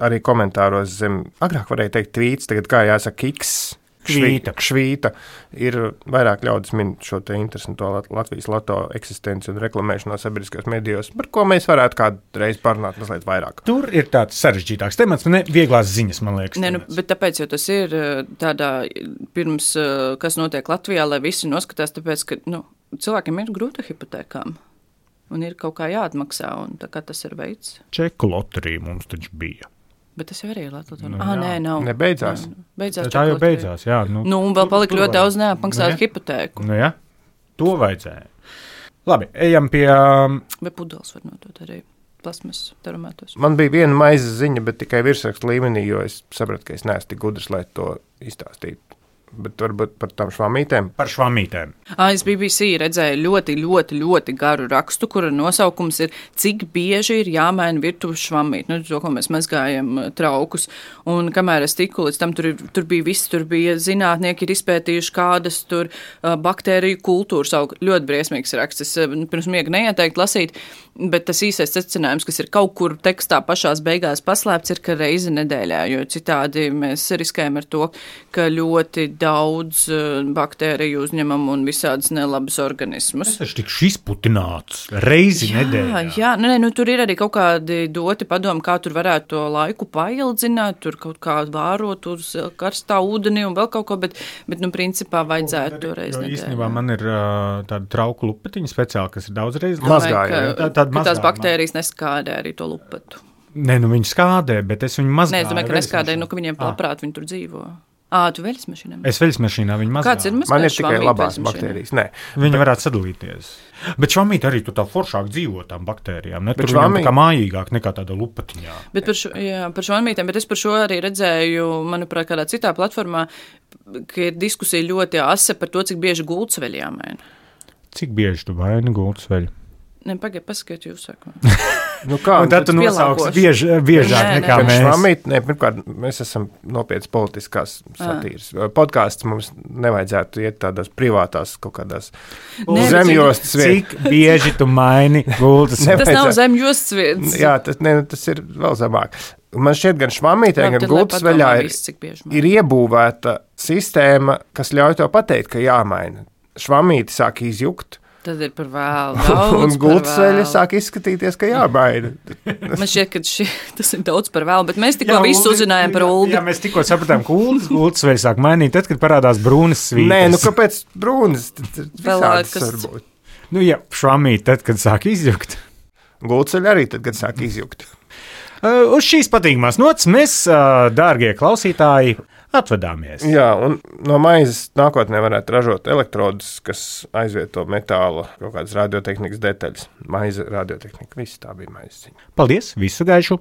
arī komentāros zem, agrāk varēja teikt tvīts, tagad kā jāsaka kiks, švīta, ir vairāk ļaudis min šo te interesanto Latvijas loto eksistenci un reklamēšanos sabiedriskajos medijos, par ko mēs varētu kādreiz parunāt mazliet vairāk. Tur ir tāds sarežģītāks temats, ne vieglās ziņas, man liekas. Ne, bet tāpēc, jo tas ir tādā pirms, kas notiek Latvijā, lai visi noskatās, tāpēc, ka cilvēkiem ir grūta hipotēkām. Un ir kaut kā jāatmaksā, un tā kā tas ir veids. Čeku loterija mums taču bija. Bet tas jau arī ir Latvijas Banka. Nē, nav. Nebeidzās. Tā jau beidzās, jā. Un vēl palika ļoti daudz neapmaksātu hipotēku. Jā, to vajadzēja. Labi, ejam pie... Bet pudeles var nodot arī plasmas termētos. Man bija viena maiza ziņa, bet tikai virsrakstu līmenī, jo es sapratu, ka es neesmu tik gudrs, lai to izstāstītu. Bet varbūt par tām švamītēm? Par švamītēm. Es BBC redzēju ļoti garu rakstu, kura nosaukums ir, cik bieži ir jāmaina virtuves švamīt. To, ko mēs mazgājam traukus. Un kamēr es tiku līdz tam, tur bija viss, tur bija zinātnieki ir izpētījuši kādas tur baktēriju kultūras auga. Ļoti briesmīgs raksts. Es pirms miega neieteiktu lasīt, bet tas īsais secinājums, kas ir kaut kur tekstā pašās beigās paslēpts, ir, ka reizi nedēļā, jo citādi mēs riskējam ar to, ka ļoti daudz baktēriju uzņemam un visādas nelabas organismus. Es tikšu izputināts reizi nedēļā. Jā, tur ir arī kaut kādi doti padomi, kā tur varētu to laiku paildzināt, tur kaut kā vārot uz karstā ūdenī un vēl kaut ko, bet principā vajadzētu to reizi nedēļā. Īstenībā man ir tāda trauku lupetiņa speciāli, kas ir daudz mazgāja. Tās baktērijas neskādē arī to lupatu. Nē, viņi skādē, bet es viņu mazgāju. Nē, es domāju, ka neskādēju, ka viņiem labprāt viņi tur dzīvo. Tu veļas mašīnā? Es veļas mašīnā viņu mazgāju. Kāds ir mazgājis? Man ir tikai labās baktērijas. Nē. Viņi varētu sadalīties. Bet švamīt arī tu tā foršāk dzīvo tām baktērijām. Ne? Tur viņam tā kā mājīgāk nekā tāda lupatiņā. Bet par švamītēm, bet es par šo arī redzēju, manuprāt, kādā citā platformā, ka ir diskusija ļoti asa par to, cik bieži gultsveļi jāmaina. Cik bieži tu vaini gultsveļu? Ne, pagaid, pasakiet jūs sākumā. Un tad tu nosauks biežāk nekā mēs. Švamīt, pirmkārt, mēs esam nopietnas politiskās satīras. Podkāsts mums nevajadzētu iet tādās privātās kaut kādās zemjostas vietas. Cik bieži tu maini gultas? Tas nav zemjostas vietas. Jā, tas ir vēl zemāk. Man šķiet, gan švamītē, gan gultasveļā ir iebūvēta sistēma, kas ļauj to pateikt, ka jāmaina. Švamīti sāk izjukt. Tad ir par vēlu. Un gultasveļa sāk izskatīties, ka jābaida. Man šķiet, ka tas ir daudz par vēlu, bet mēs tikko visu uzzinājām par Uldi. Jā, mēs tikko sapratām, ka gultasveļa sāk mainīt, tad, kad parādās brūnas svītas. Nē, kāpēc brūnas? Visādas varbūt. Švamīt, tad, kad sāk izjukt. Gultasveļa arī tad, kad sāk izjukt. Uz šīs patīkamās nots mēs, dārgie klausītāji, atvedāmies. Jā, un no maizes nākotnē varētu ražot elektrodus, kas aizvieto metāla kaut kādas radiotehnikas detaļas. Maize, radiotehnika, viss tā bija maizes ziņa. Paldies, visu gaišu!